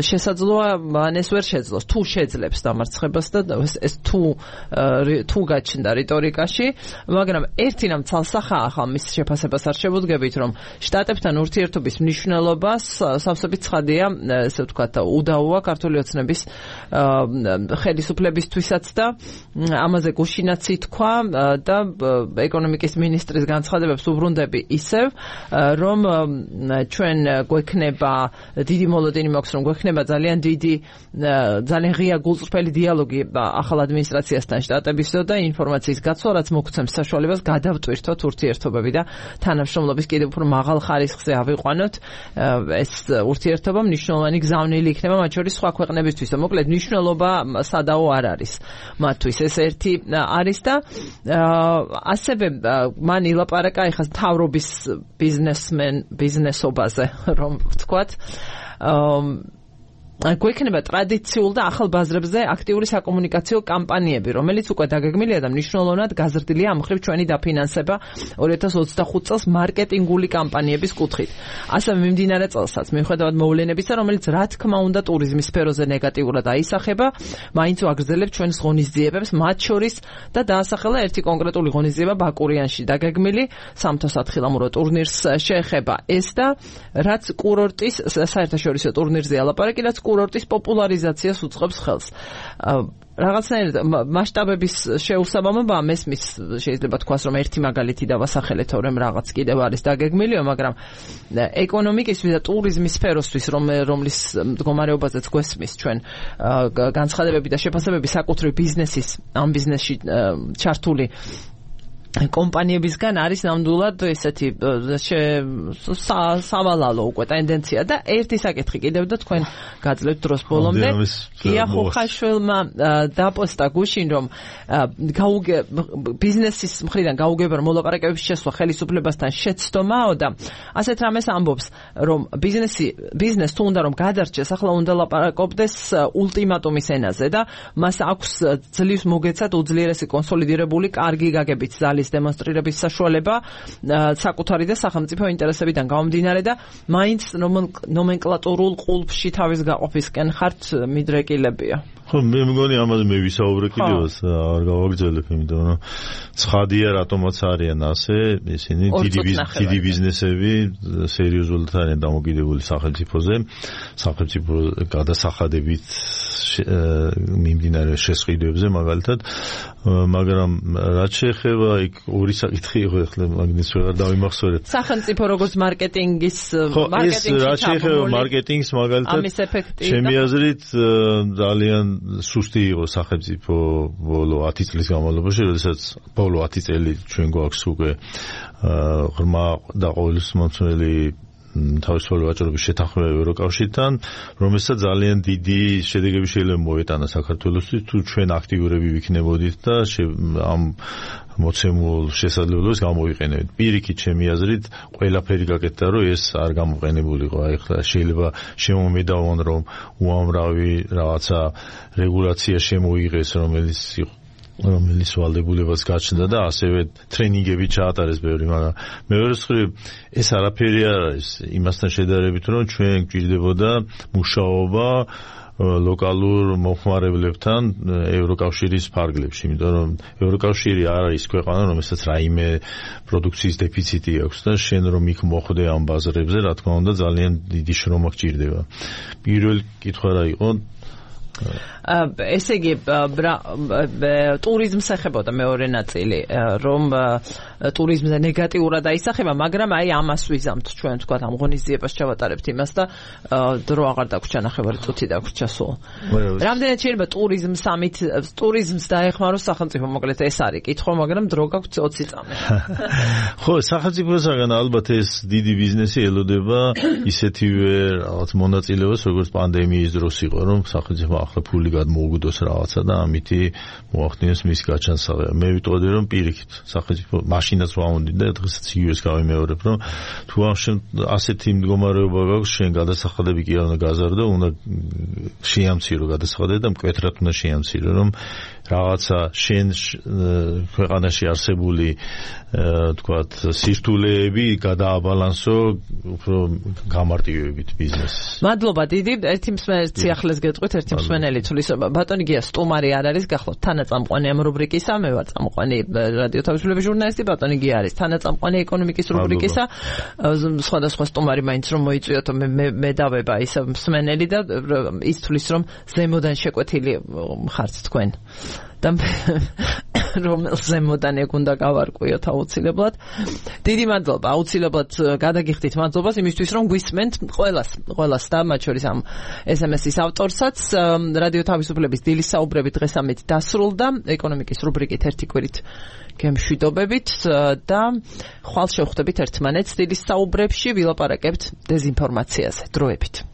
შესაძლოა მან ეს ვერ შეძლოს თუ შეძლებს დამარცხებას და ეს თუ გაჩნდა რიტორიკაში, მაგრამ ერთი რამ ცალსახა ახლა მის შეფასებას არ შევუდგებით რომ შტატებთან ურთიერთობის მნიშვნელობას სავსებით ცხადია ესე ვთქვათ უდაოა ქართული ოცნების ხელისუფლებისთვისაც და ამაზე გუშინაც ითქვა და ეკონომიკის მინისტრის განცხადებებს უბრუნდები ისევ რომ ჩვენ გვექნება დიდი მოლოდინი მაქვს რომ გვექნება ძალიან ღია გულწრფელი დიალოგი ახალ ადმინისტრაციასთან შტატებისო და ინფორმაციის გაცვლა რაც მოგცემს საშუალებას გადავტვირთოთ ურთიერთობები და თანამშრომლობის კიდევ უფრო მაღალ ხარისხზე ავიყვანოთ ეს ურთიერთობა მნიშვნელოვანი გზავნილი იქნება მათ შორის სხვა ქვეყნებისთვის. მოკლედ მნიშვნელობა სადაო არ არის მათთვის ეს ერთი არის და ასევე მან ილაპარაკა ეხლა მთავრობის ბიზნესობაზე რომ ვთქვათ გვექნება ტრადიციულ და ახალ ბაზრებზე აქტიური საკომუნიკაციო კამპანიები, რომელიც უკვე დაგეგმილია და მნიშვნელოვნად გაზრდილია ამ მხრივ ჩვენი დაფინანსება 2025 წელს მარკეტინგული კამპანიების კუთხით. ასევე მიმდინარე წელსაც, მიუხედავად მოვლენებისა, რომელიც რა თქმა უნდა ტურიზმის სფეროზე ნეგატიურად აისახება, მაინც ვაგრძელებთ ჩვენს ღონისძიებებს, მათ შორის და დაასახელა ერთი კონკრეტული ღონისძიება ბაკურიანში დაგეგმილი სამთო-სათხილამურო ტურნირს შეეხება ეს და რაც კურორტის საერთაშორისო ტურნირზეა ლაპარაკი, რაც კურორტის პოპულარიზაციას უწყობს ხელს. რაღაცნაირად მასშტაბების შეუსაბამობა მესმის შეიძლება თქვას რომ ერთი მაგალითი დავასახელე თორემ რაღაც კიდევ არის დაგეგმილიო, მაგრამ ეკონომიკისთვის და ტურიზმის სფეროსთვის რომლის მდგომარეობაზეც გვესმის ჩვენ განცხადებები და შეფასებები საკუთრივ ბიზნესის ამ ბიზნესში ჩართული კომპანიებისგან არის ნამდვილად ესეთი სავალალო უკვე ტენდენცია და ერთი საკითხი კიდევ და თქვენ გაძლევთ დროს ბოლომდე გია ხოხაშვილმა დაპოსტა გუშინ რომ ბიზნესის მხრიდან გაუგება რომ მოლაპარაკებების შესვლა ხელისუფლებასთან შეცდომაო და ასეთ რამეს ამბობს რომ ბიზნეს თუ უნდა რომ გადარჩეს ახლა უნდა ლაპარაკობდეს ულტიმატუმის ენაზე და მას აქვს ძლივს მოგეცათ უძლიერესი კონსოლიდირებული კარგი გაგებით დემონსტრირების საშუალება საკუთარი და სახელმწიფო ინტერესებიდან გამომდინარე და მაინც ნომენკლატურულ ყულფში თავის გაყოფისკენ ხართ მიდრეკილებია. ხო, მე მგონი ამაზე მე ვისაუბრე კიდევაც არ გავაგრძელებ, იმიტომ რომ ცხადია რატომაც არიან ასე ისინი დიდი ბიზნესები სერიოზულად არიან დამოკიდებული სახელმწიფოზე, სახელმწიფო გადასახადებით მიმდინარე შესყიდვებზე მაგალითად, მაგრამ რაც შეეხება იქ ორი საკითხი იყო ახლა მაგნეს ვეღარ დავიმახსოვრეთ. სახელმწიფო როგორც მარკეტინგის რაც შეეხება მარკეტინგს მაგალითად ჩემი აზრით ძალიან სუსტი იყო სახელმწიფო ბოლო 10 წლის განმავლობაში, როდესაც ბოლო 10 წელი ჩვენ გვაქვს უკვე ღრმა და ყოველსმომცველი თავისუფალი ვაჭრობის შეთანხმება ევროკავშირთან, რომელსაც ძალიან დიდი შედეგები შეიძლება მოეტანა საქართველოსთვის, თუ ჩვენ აქტიურები ვიქნებოდით და ამ მოცემულ შესაძლებლობას გამოვიყენებთ. პირიქით, ჩემი აზრით, ყველაფერი გაკეთდა, რომ ეს არ გამოყენებულიყო. აი ხლა შეიძლება შემომედავონ, რომ უამრავი რაღაცა რეგულაცია შემოიღეს, რომელიც ვალდებულებას გაჩნდა და ასევე ტრენინგები ჩაატარეს ბევრი, მაგრამ მეორე მხრივ ეს არაფერი არ არის იმასთან შედარებით, რომ ჩვენ გვჭირდებოდა მუშაობა ლოკალურ მომხმარებლებთან ევროკავშირის ფარგლებში, იმიტომ რომ ევროკავშირი არ არის ქვეყანა, რომელსაც რაიმე პროდუქციის დეფიციტი აქვს და შენ რომ იქ მოხვდე ამ ბაზრებზე, რა თქმა უნდა, ძალიან დიდი შრომა გჭირდება. პირველი კითხვა რა იყო? ესე იგი ტურიზმს ეხებოდა მეორე ნაწილი, რომ ტურიზმზე ნეგატიურად აისახება, მაგრამ აი ამას ვიზამთ ჩვენ თქვა ამ ღონისძიებას ჩავატარებთ იმას და დრო აღარ დაგვრჩა ნახევარი წუთი დაგვრჩა სულ. რამდენად შეიძლება ტურიზმს დაეხმაროს სახელმწიფო, მოკლედ ეს არის კითხვა, მაგრამ დრო გაგვთ 20 წამი. ხო, სახელმწიფოსაგან ალბათ ეს დიდი ბიზნესი ელოდება ისეთივე რაღაც მონაწილეობას, როგორც პანდემიის დროს იყო, რომ სახელმწიფო ახლა ფული გადმოუგდოს რაღაცა და ამითი მოახდინოს მის გაჩანსაღება. მე ვიტყოდი რომ პირიქით სახელმწიფო მაშინაც ვამონდი და დღესაც იგივეს გავიმეორებ, რომ თუ ასეთი მდგომარეობა გაქვს, შენ გადასახადები კი არ უნდა გაზარდო, უნდა შეამცირო გადასახადები და მკვეთრად უნდა შეამცირო, რომ რაღაცა შენ ქვეყანაში არსებული თქვათ სირთულეები გადააბალანსო უფრო გამარტივებით ბიზნესს. მადლობა დიდი, ერთი მსმენელი ციახლეს გეტყვით, ერთი მსმენელი თulis ბატონი გია სტუმარი არ არის, გახლავთ თანაწამყვანი ამ რუბრიკისა, მე ვარ წამყვანი რადიო თავისუფლების ჟურნალისტი, ბატონი გია არის თანაწამყვანი ეკონომიკის რუბრიკისა. სხვადასხვა სტუმარი მაინც რომ მოიწვიოთ, მე დავება ის მსმენელი და ის თulis რომ ზემოდან შეკვეთილი ხართ თქვენ. და რომელ ზემოდან ეგ უნდა გავარკვიოთ აუცილებლად. დიდი მადლობა, აუცილებლად გადაგიხდით მადლობას იმისთვის, რომ გვისმენთ ყველას და მათ შორის ამ SMS-ის ავტორსაც. რადიო თავისუფლების დილის საუბრები დღეს ამით დასრულდა, ეკონომიკის რუბრიკით ერთი კვირით გემშვიდობებით და ხვალ შევხვდებით ერთმანეთს დილის საუბრებში, ვილაპარაკებთ დეზინფორმაციაზე. დროებით.